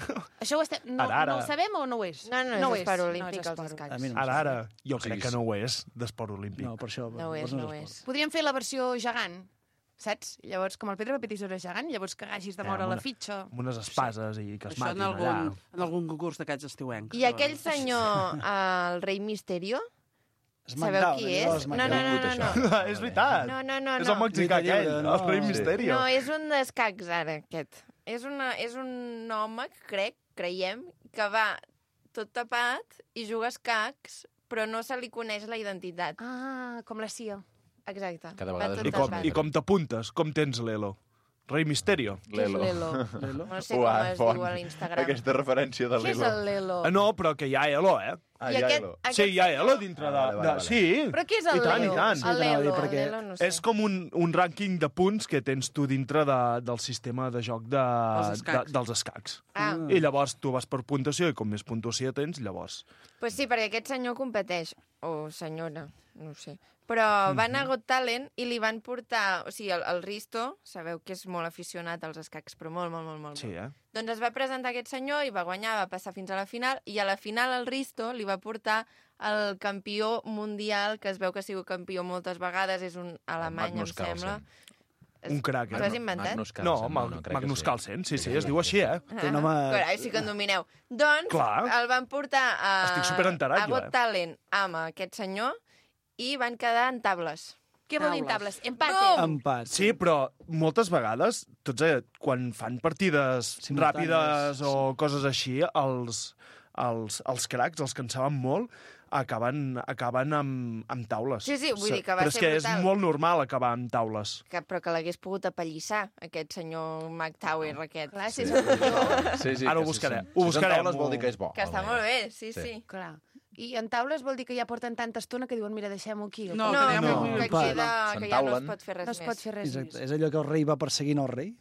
Això ho, estem... no, Ara, ara. no ho sabem o no ho és? No, no, no és esport olímpic, és els esport. escacs. A mi no em Ara, sembla. ara, jo crec que no ho és d'esport olímpic. No, per això. No ho és, llavors no ho esport. és. Podríem fer la versió gegant, saps? Llavors, com el Pedro Petisora gegant, llavors que hagis de Eh, moure amb la una- fitxa. Amb unes espases i que es Això en matin algun, allà. en algun concurs d'aquests estiuencs. I aquell senyor, el rei Misterio, sabeu SmackDown, qui allò, és? No, no, no, no, no. Ah, és veritat. No, no, no, És el no. mexicà Lluita aquell, lliure, no? el rei Sí. Misterio. No, és un d'escacs, ara, aquest. És, una, és un home, crec, creiem, que va tot tapat i juga a escacs, però no se li coneix la identitat. Ah, com la C I O. Exacte. Cada Va vegada tot és I com, tapat. I com t'apuntes? Com tens l'Elo? Rei Misterio. Què és l'Elo? No sé com es diu a l'Instagram. Aquesta referència de Què és l'Elo. el Lelo? Ah, no, però que hi ha Elo, eh? Ah, I ja, aquest- Elo. aquest Sí, hi ha Elo senyor- dintre de... Ah, vale, vale, de... vale. Sí. Però què és el I tant, Lelo? i tant. Sí, t'anava a dir, El Lelo. perquè L'Elo no sé. És com un, un rànquing de punts que tens tu dintre de, del sistema de joc de, Dels escacs. de, dels escacs. Ah, I llavors tu vas per puntuació i com més puntuació tens, llavors... pues sí, perquè aquest senyor competeix, o senyora, no ho sé. Però va anar a Got Talent i li van portar... O sigui, el, el Risto, sabeu que és molt aficionat als escacs, però molt, molt, molt, molt. Sí, eh? Doncs es va presentar aquest senyor i va guanyar, va passar fins a la final, i a la final el Risto li va portar el campió mundial, que es veu que ha sigut campió moltes vegades, és un alemany, em Magnus sembla. Carlsen. Un crac, T'ho eh? has inventat? Magnus No, Carlsen, Mag crec que Magnus sí. Carlsen, sí, sí, es diu així, eh? Té un home- Carai, sí que en domineu. Doncs Clar. el van portar a, Estic superenterat, a jo, Got eh? Talent amb aquest senyor i van quedar en tables. Què vol dir Taules. tables? Empate. Bum! Empat. Sí, però moltes vegades, tots eh, quan fan partides Simultànies, ràpides o coses així, els, els, els cracs, els que en saben molt, acaben, acaben amb, amb taules. Sí, sí, vull dir que va però és ser que brutal. és molt normal acabar amb taules. Que, però que l'hagués pogut apallissar, aquest senyor McTower, aquest. Clar, si Sí. és un Sí, sí, Ara ho que si buscaré, són- ho si buscarem, són taules vol ho- dir que és bo. Que està molt bé, sí, sí. Sí. Clar. I en taules vol dir que ja porten tanta estona que diuen, mira, deixem-ho aquí. No, No, que ja no, m'ho- que, empat. queda, que ja no es S'entaulen. pot fer res No es pot més. fer res Exacte. més. És allò que el rei va perseguint el rei.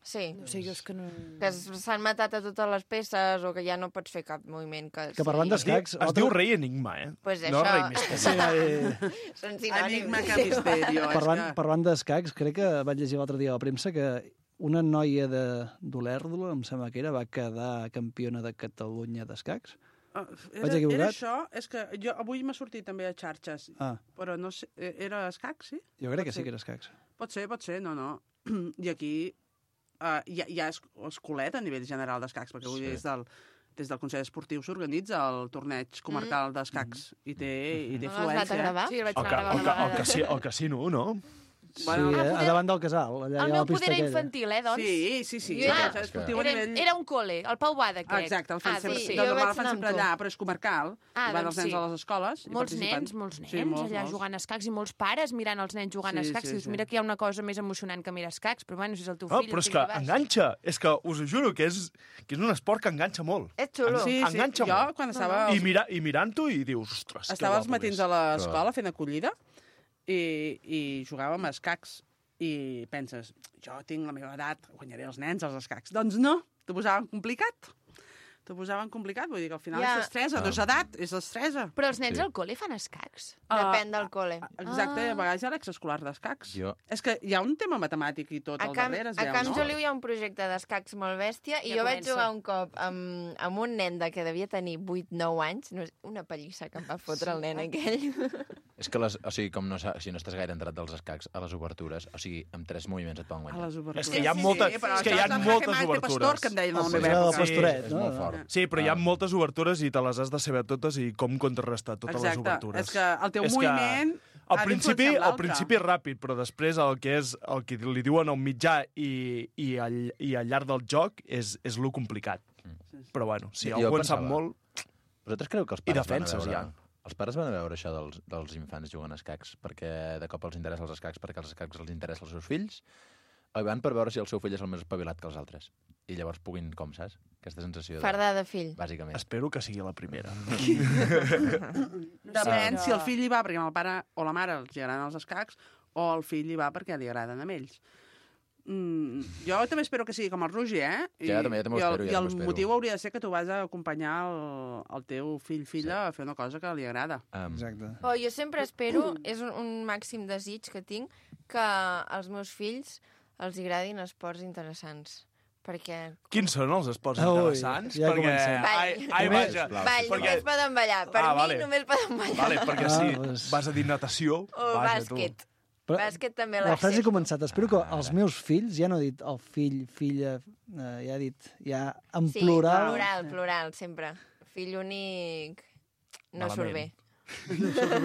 Sí. No sé, jo és que no... Que es- s'han matat a totes les peces o que ja no pots fer cap moviment. Que, Que parlant Es diu, d'escacs... es diu rei enigma, eh? Pues no això. rei misteri. Sí, eh, Són sinònims. Enigma que misterio. és parlant, que- parlant d'escacs, crec que vaig llegir l'altre dia a la premsa que una noia de d'Olèrdola, em sembla que era, va quedar campiona de Catalunya d'escacs. Ah, Vaig Era, equivocat? era això? És que jo avui m'ha sortit també a xarxes, Ah, però no sé, eh, era escac, sí? jo crec que Pot sí ser. que era escacs. Pot ser, pot ser, no, no. I aquí uh, hi, ha, hi ha es- escolet a nivell general d'escacs, perquè avui Sí. des del, des del Consell Esportiu s'organitza el torneig comarcal d'escacs i té, i té No l'has anat a fluència. gravar? Sí, el vaig El, anar ca, a gravar el, una ca, el, vegada. casi, el casino, no? Sí, Bueno, eh, poder- a davant del casal. Allà El hi ha meu la pista poder era aquella. infantil, eh, doncs? Sí, sí, sí. Jo era, és esportiu a era, nivell... era un col·le, el Pau Bada, crec. Exacte, el fan ah, sempre, sí, sí, jo de normal vaig el fan anar sempre amb tu. allà, però és comarcal. Ah, i van doncs els nens sí. a les escoles. i Molts participen. nens, molts nens, Sí, molts, allà molts. jugant a escacs i molts pares mirant els nens jugant a Sí, escacs. sí, I dius, sí. mira que hi ha una cosa més emocionant que mirar escacs, però bueno, si és el teu Oh, fill... però és no que tinc vas. enganxa. És que us ho juro que és, que és un esport que enganxa molt. És xulo. Sí, sí. Enganxa Jo, molt. quan estava... I, mira, i mirant-ho i dius, ostres, Estava els que guapo matins és. a l'escola fent acollida i, i jugàvem a escacs i penses, jo tinc la meva edat, guanyaré els nens als escacs. Doncs no, t'ho posaven complicat. T'ho posaven complicat, vull dir que al final Ja. és destresa, no és edat, és destresa. Però els nens al col·le fan escacs? Depèn del col·le. Exacte, Ah. a vegades hi ha l'exescolar d'escacs. Jo- És que hi ha un tema matemàtic i tot A al Camp, darrere, es a veu, Camp no? Joliu hi ha un projecte d'escacs molt bèstia i Ja jo vaig comença. jugar un cop amb, amb un nen de que devia tenir vuit nou anys, no, és- una pallissa que em va fotre el nen aquell. És que, les, o sigui, com no, sa- si no estàs gaire entrat dels escacs, a les obertures, o sigui, amb tres moviments et poden A guanyar. les obertures. És que hi ha moltes, però és que hi ha això és el moltes Jaque Mate obertures. Pastor, que em deien a la El meva del època. pastoret, és no? molt fort. Sí, però hi ha moltes obertures i te les has de saber totes i com contrarrestar totes les Exacte, obertures. és que el teu És que moviment Al ha principi, d'influenciar al l'altre. principi és ràpid, però després el que és el que li diuen al mitjà i, i, al, i al llarg del joc és, és lo complicat. Però bueno, si Jo algú en sap pensava- molt... Vosaltres creu que els I pares defenses, van a veure... ja. Els pares van a veure això dels, dels infants jugant a escacs perquè de cop els interessa els escacs, perquè els escacs els interessa als seus fills, o van per veure si el seu fill és el més espavilat que els altres. I llavors puguin, com saps? Aquesta sensació de... Fardar de fill. Bàsicament. Espero que sigui la primera. Depèn si el fill hi va perquè el pare o la mare els agraden els escacs o el fill hi va perquè li agraden a ells. Mm, jo també espero que sigui com el Roger, eh? I, Ja, també, ja també ho i el, espero, ja I el també ho espero. motiu hauria de ser que tu vas a acompanyar el, el teu fill-filla sí. a fer una cosa que li agrada. Um, Exacte. Oh, jo sempre espero, és un, un màxim desig que tinc, que als meus fills els agradin esports interessants. Perquè... Quins són els esports Ui, interessants? ja perquè... comencem. Ai, ai, vaja. Ball, perquè... només poden ballar. Per Ah, mi vale. només poden ballar. Vale, perquè Ah, si doncs- vas a dir natació... O vaja, bàsquet. Però Bàsquet també la frase he l'accepto. començat. Espero que els meus fills, ja no he dit el fill, filla, eh, ja he dit, ja en Sí, plural... plural, plural, sempre. Fill únic no Malament. surt bé.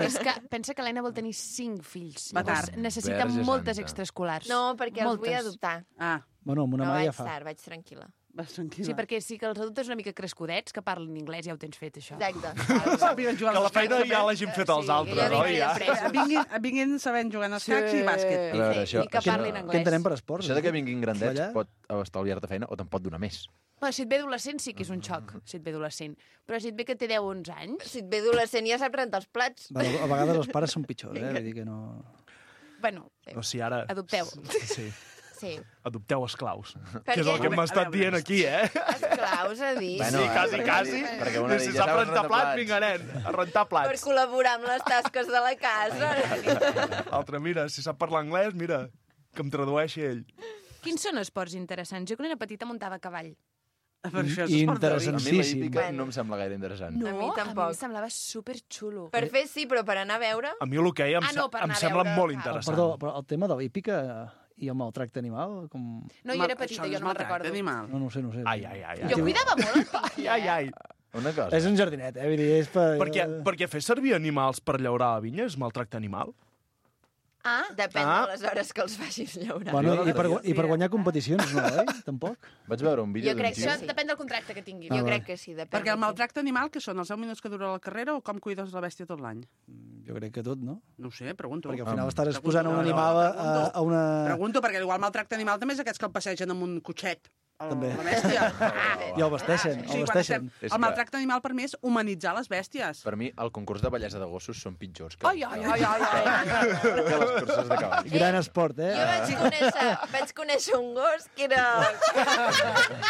És que pensa que l'Helena vol tenir cinc fills. Va Llavors tard. necessita Verge moltes santa. extraescolars. No, perquè els vull Moltes. adoptar. Ah, Bueno, amb una No mà ja vaig fa. tard, vaig tranquil·la. vas tranquil·la. Sí, perquè sí que els adultes una mica crescudets, que parlen anglès, ja ho tens fet, això. Exacte. Sàpiguen jugar Que als la feina escacs, ja també. l'hagin fet els Sí, altres, ja oi? vinc Ja. après. Vinguin, vinguin sabent jugar a escacs i bàsquet. A veure, això, I que això, parlin Què anglès. entenem per esports? això de que vinguin grandets Ballar? pot estalviar-te feina o te'n pot donar més. Bueno, si et ve adolescent sí que és un xoc, si et ve adolescent. Però si et ve que té deu o onze anys... Si et ve adolescent ja sap rentar els plats. Bueno, a vegades els pares són pitjors, eh? Vull dir que no... Bueno, O sigui, ara... adopteu. Sí. Sí. Adopteu esclaus. Per Que és el què? que m'ha estat dient aquí, eh? Esclaus, a dir. Bueno, Sí, eh, quasi, perquè- quasi. perquè una Si dit, ja sap saps rentar rentar plats, plats. vinga, nen, a rentar Per plats. col·laborar amb les tasques de la casa. L'altre, mira, si sap parlar anglès, mira, que em tradueixi ell. Quins són esports interessants? Jo quan era petita muntava a cavall. Per això és I esport de A interessant. mi la Sensíssim. hípica Bueno. no em sembla gaire interessant. No, A mi tampoc. A mi em semblava superxulo. Per fer sí, però per anar a veure... A mi l'hoquei em, Ah, no, per em anar a sembla veure, molt clar. interessant. Perdó, però el tema de l'hípica i el maltracte animal, com... No, jo era petita, jo no me'n recordo. Animal. No, no ho sé, no ho sé. Ai, ai, ai. ai. Jo cuidava molt el fill, Ai, ai. Una cosa. És un jardinet, eh? Vull dir, és per... Perquè, perquè fer servir animals per llaurar la vinya és maltracte animal? Ah, Depèn Ah. de les hores que els facis llaurar. Bueno, Jo i per, l'altre i per guanyar competicions, no, eh? Tampoc. Vaig veure un vídeo Jo d'un crec tio... que això sí. depèn del contracte que tinguin. Ah, Jo va. crec que sí, depèn. Perquè el de qui. maltracte animal, que són els deu minuts que dura la carrera o com cuides la bèstia tot l'any? Jo crec que tot, no? No ho sé, pregunto. Perquè al final Um, estàs exposant a un pregunto, animal a, pregunto. a una... Pregunto, perquè igual maltracte animal també és aquests que el passegen amb un cotxet. El, També. La bèstia. I el vesteixen, Sí, el quan vesteixen. estem- És El que- maltracte animal per mi és humanitzar les bèsties. Per mi, el concurs de bellesa de gossos són pitjors que, Ai, ai, ai, ai, ai. que les curses de cavall. Gran esport, eh? Jo vaig conèixer, vaig conèixer un gos que era...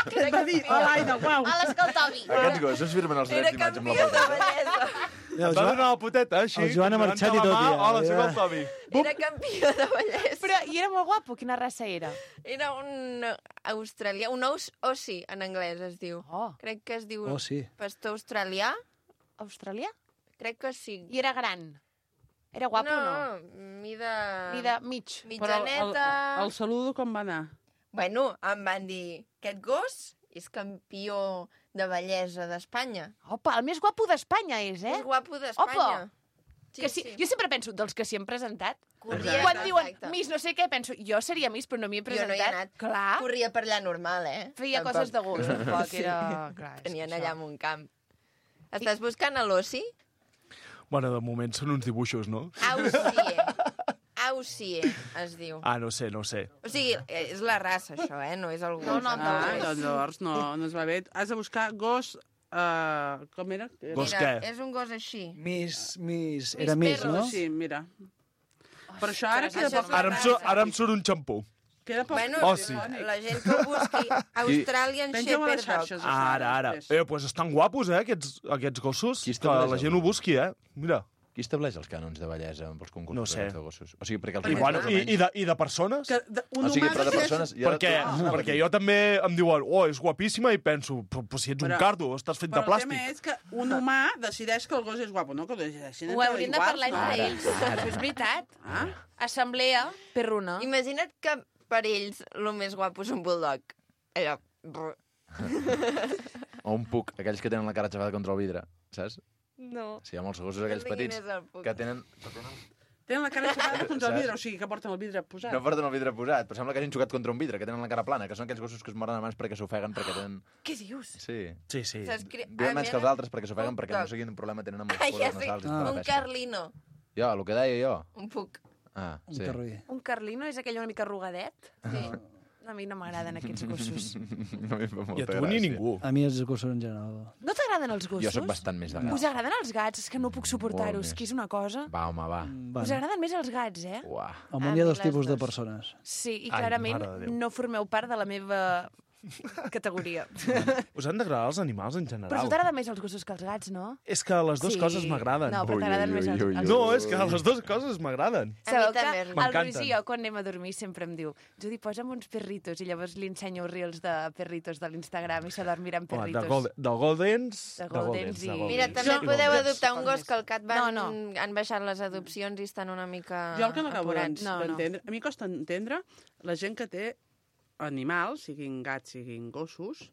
que era Va dir, campió, a l'aire, uau. A l'escaltovi. Aquests gossos firmen els era drets d'imatge amb la campió de foto. bellesa. El Et va Joan, donar la poteta, així. el Joan ha marxat i tot, ja. Hola, soc Ja. el Tobi. Era campió de bellesa. Però, i era molt guapo, quina raça era? Era un australià, un ous ossi en anglès es diu. Oh, Crec que es diu Oh, sí. pastor australià. australià? Crec que sí. I era gran. Era guapo o no? no? Mida... Mida mig. Però el, el, Mitjaneta... el saludo com va anar? Bueno, em van dir, aquest gos és campió de bellesa d'Espanya. Opa, el més guapo d'Espanya és, eh? És guapo d'Espanya. Opa! Sí, que sí, sí. Jo sempre penso, dels que s'hi han presentat, Corria, quan diuen exacte. Miss no sé què, penso, jo seria Miss, però no m'hi he Jo presentat. no hi he anat. Clar. Corria per allà normal, eh? Feia Tampoc. coses de gust, tampoc era... Clar, és Tenien que allà això. en un camp. Estàs buscant a l'Ossi? Bueno, de moment són uns dibuixos, no? Ausie. Ausie, es diu. Ah, no sé, no sé. O sigui, és la raça, això, eh? No és el gos. No, no, no. Ah, doncs llavors no, no es va bé. Has de buscar gos... Uh, com era? Gos Mira, què? és un gos així. Miss, Miss... Era Miss, no? Sí, mira. Però això ara això queda és poc... la Ara em, surt, ara em surt un xampú. Queda poc... Bueno, Oh, sí. la gent que ho busqui, Australian Penja-ho a les Shepherd Dog. xarxes, això. Ara, ara. Eh, pues estan guapos, eh, aquests, aquests gossos. Qui Que estableix la gent ho busqui, eh? Mira. Qui estableix els cànons de bellesa pels concursos No sé. de gossos? O sigui, perquè els I, humans, bueno, més o i, menys- i, de, I de persones? Que de, un O sigui, humà però de decideix- persones... Ja Perquè, perquè jo també em diuen, oh, és guapíssima, i penso, però, però si ets un Però- cardo, estàs fet de Però el plàstic. tema és que un humà decideix que el gos és guapo, no? Que ho decideixin Ho hauríem de iguals, parlar no? entre ells. Això és veritat. Ah? Assemblea perruna. Imagina't que per ells el més guapo és un bulldog. Allò... O un puc, aquells que tenen la cara xafada contra el vidre, saps? No. Sí, hi ha molts gossos aquells No sé quin petits és el puc. que tenen... Que tenen... Tenen la cara xafada contra el Saps? vidre, o sigui que porten el vidre posat. No porten el vidre posat, però sembla que hagin xocat contra un vidre, que tenen la cara plana, que són aquells gossos que es moren abans perquè s'ofeguen, perquè tenen... Què dius? Sí. Sí, sí. S'escri- Viuen Ah, menys que els mira. altres perquè s'ofeguen, perquè no sé quin problema tenen amb els Ah, ja poros sé, nasals i tota la un pesca. carlino. Jo, el que deia jo. Un puc. Ah, Un sí. carroí. Un carlino és aquell una mica arrugadet? Sí. A mi no m'agraden aquests gossos. No m'hi fa molta I a tu gràcia. ni ningú. A mi els gossos en general. No t'agraden els gossos? Jo sóc bastant més de Us gats. agraden els gats? És que no puc suportar-ho, Molt és més. que és una cosa... Va, home, va. Bueno, Us agraden més els gats, eh? Uah. al A món hi ha mi dos les tipus de dos. persones. Sí, i Ai, clarament mare de Déu. no formeu part de la meva categoria. Us han d'agradar els animals en Però a tu general. t'agraden més els gossos que els gats, no? És que les dues Sí. coses m'agraden. No, però Ui, t'agraden ui, més ui, els, ui, els ui. No, és que les dues coses m'agraden. Sabeu que també, el M'encanten. Roger, quan anem a dormir, sempre em diu Judi, posa'm uns perritos, i llavors li ensenyo reels de perritos de l'Instagram i s'adorm mirant Home, perritos. de, Gold, de Goldens... De Goldens i- Mira, també Jo- podeu jo- adoptar un gos que al Cat van, No, no. han baixat les adopcions i estan una mica Jo el que no acabo apurats. No, no. d'entendre... A mi costa entendre la gent que té animals, siguin gats, siguin gossos,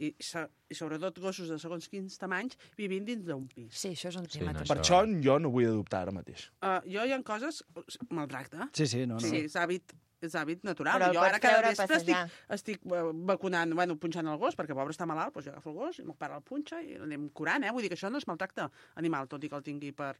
i, so- i sobretot gossos de segons quins tamanys, vivint dins d'un pis. Sí, això és un Sí, tema. no, també. Per això jo no vull adoptar ara mateix. Uh, jo hi ha coses... Maltracte. Sí, sí, no, no. Sí, és hàbit, és hàbit natural. Però el jo pots ara cada treure a vespre estic, passejar. estic eh, vacunant, bueno, punxant el gos, perquè pobre està malalt, doncs jo agafo el gos i el meu pare el punxa i l'anem curant, eh? Vull dir que això no és maltracte animal, tot i que el tingui per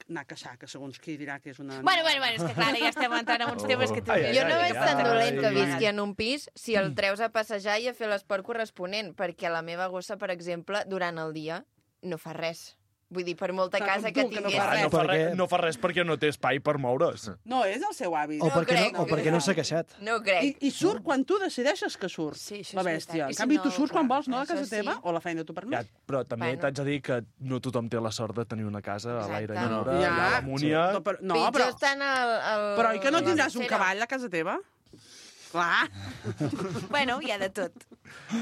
anar a caçar, que segons qui dirà que és una... Bueno, bueno, bueno, és que clar, ara ja estem entrant en uns temes que tu... Ai, ai, Jo no ai, veig ai, tan ai, dolent que ai. visqui en un pis si el treus a passejar i a fer l'esport corresponent, perquè la meva gossa, per exemple, durant el dia no fa res. Vull dir, per molta Clar, casa com que tu, que no tingués... fa Ah, res. no, fa Perquè- res, no fa res perquè no té espai per moure's. No, és el seu hàbit. O No perquè crec, no, o perquè no s'ha queixat. No crec. I, I surt quan tu decideixes que surt, Sí, això és la veritat. bèstia. I En si canvi, no, tu surts quan clar, vols, no, a això casa sí. teva, o la feina tu per mi. Ja, però també Bueno. t'haig de dir que no tothom té la sort de tenir una casa a l'aire Exacte. lliure, Ja, allà a la múnia... No, però, no, Pitjor però, estan al, al... però i que no tindràs un Cero. cavall a casa teva? Clar. Bueno, hi ha de tot.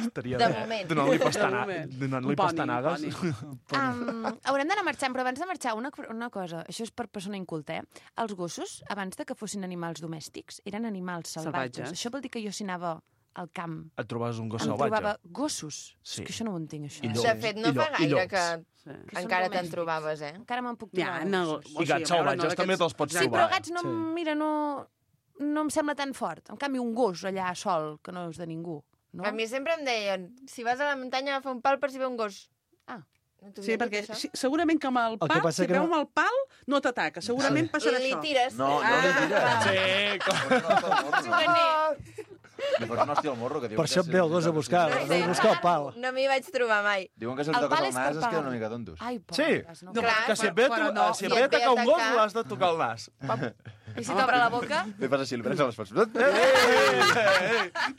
Estaria De bé. moment. Donant-li De pastana... moment. donant-li Un poni, pastanagues. un Um, haurem d'anar marxant, però abans de marxar, una, una cosa, això és per persona inculta, eh? Els gossos, abans de que fossin animals domèstics, eren animals salvatges. Salvatges. Això vol dir que jo si anava al camp Et trobes un gos em salvatge. trobava gossos. Sí. És que això no ho entenc, això. I eh? llops. De fet, no I fa llo- i gaire llops. que Sí. Que són encara te'n domèstics. trobaves, eh? Encara me'n puc Ja, trobar. no, gossos. o I sigui, gats a veure, salvatges no també d'aquests- te'ls pots Sí, trobar. però gats no, Sí. mira, no, no em sembla tan fort. En canvi, un gos allà sol, que no és de ningú. No? A mi sempre em deien, si vas a la muntanya, agafa un pal per si ve un gos. Ah. No t'ho Sí, havien dit, perquè això? si, segurament que amb el que pal, passa si que veu no- amb el pal, no t'ataca. Segurament passarà Li això. tires. No, no li tires. Sí, com... Li fots un hòstia al morro, que diuen Per això et ve el gos a buscar, No ve sé. a buscar el pal. No m'hi vaig trobar mai. Diuen que si li El toques pal el és per nas es pal. queden una mica tontos. Ai, Sí, pobres, no? no, Clar, que si et però- ve, a però to- no, si et si ve a et ve a atacar un gos, atacar- l'has de tocar el nas. I si t'obre la boca? Li fas així, li prens a les fas. Ei,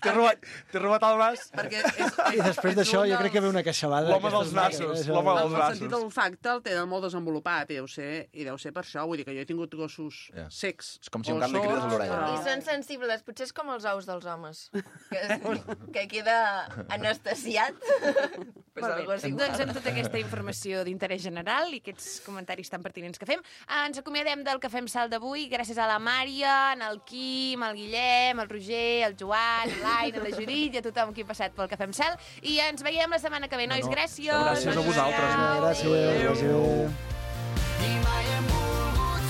T'he robat, t'he robat el nas. Perquè és, I després d'això jo crec que ve una queixalada. L'home dels d'aquestes nassos, això. l'home dels el sentit nassos. de l'olfacte el tenen molt desenvolupat, i deu ser, i deu ser per això. Vull dir que jo he tingut gossos Ja. secs. És com si un o gat li crides a sords, l'orella. però- I són sensibles, potser és com els ous dels homes, que, que queda anestesiat. pues Molt algo bé. és igual. Doncs amb tota aquesta informació d'interès general i aquests comentaris tan pertinents que fem, ens acomiadem del que fem salt d'avui, gràcies a la Mària, al Quim, al Guillem, al Roger, al Joan, a l'Aina, a la Judit i a tothom qui ha passat pel Cafè amb Sal. I ens veiem la setmana que ve, nois. No, no. Gràcies. Gràcies a vosaltres. Gràcies, gràcies. I mai hem volgut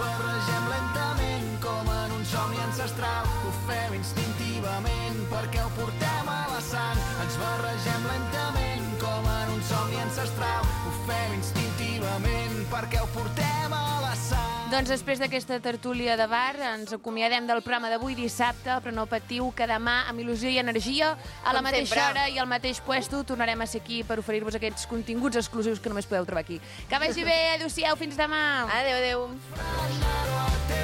barregem lentament com en un somni ancestral. Ho fem instintivament perquè ho portem a la sang. Ens barregem lentament com en un somni ancestral. Ho fem instintivament perquè ho portem a la sang. Doncs després d'aquesta tertúlia de bar ens acomiadem del programa d'avui dissabte, però no patiu que demà amb il·lusió i energia a la Com mateixa sempre. hora i al mateix puesto tornarem a ser aquí per oferir-vos aquests continguts exclusius que només podeu trobar aquí. Que vagi bé, adéu-siau, fins demà. Adéu, adéu.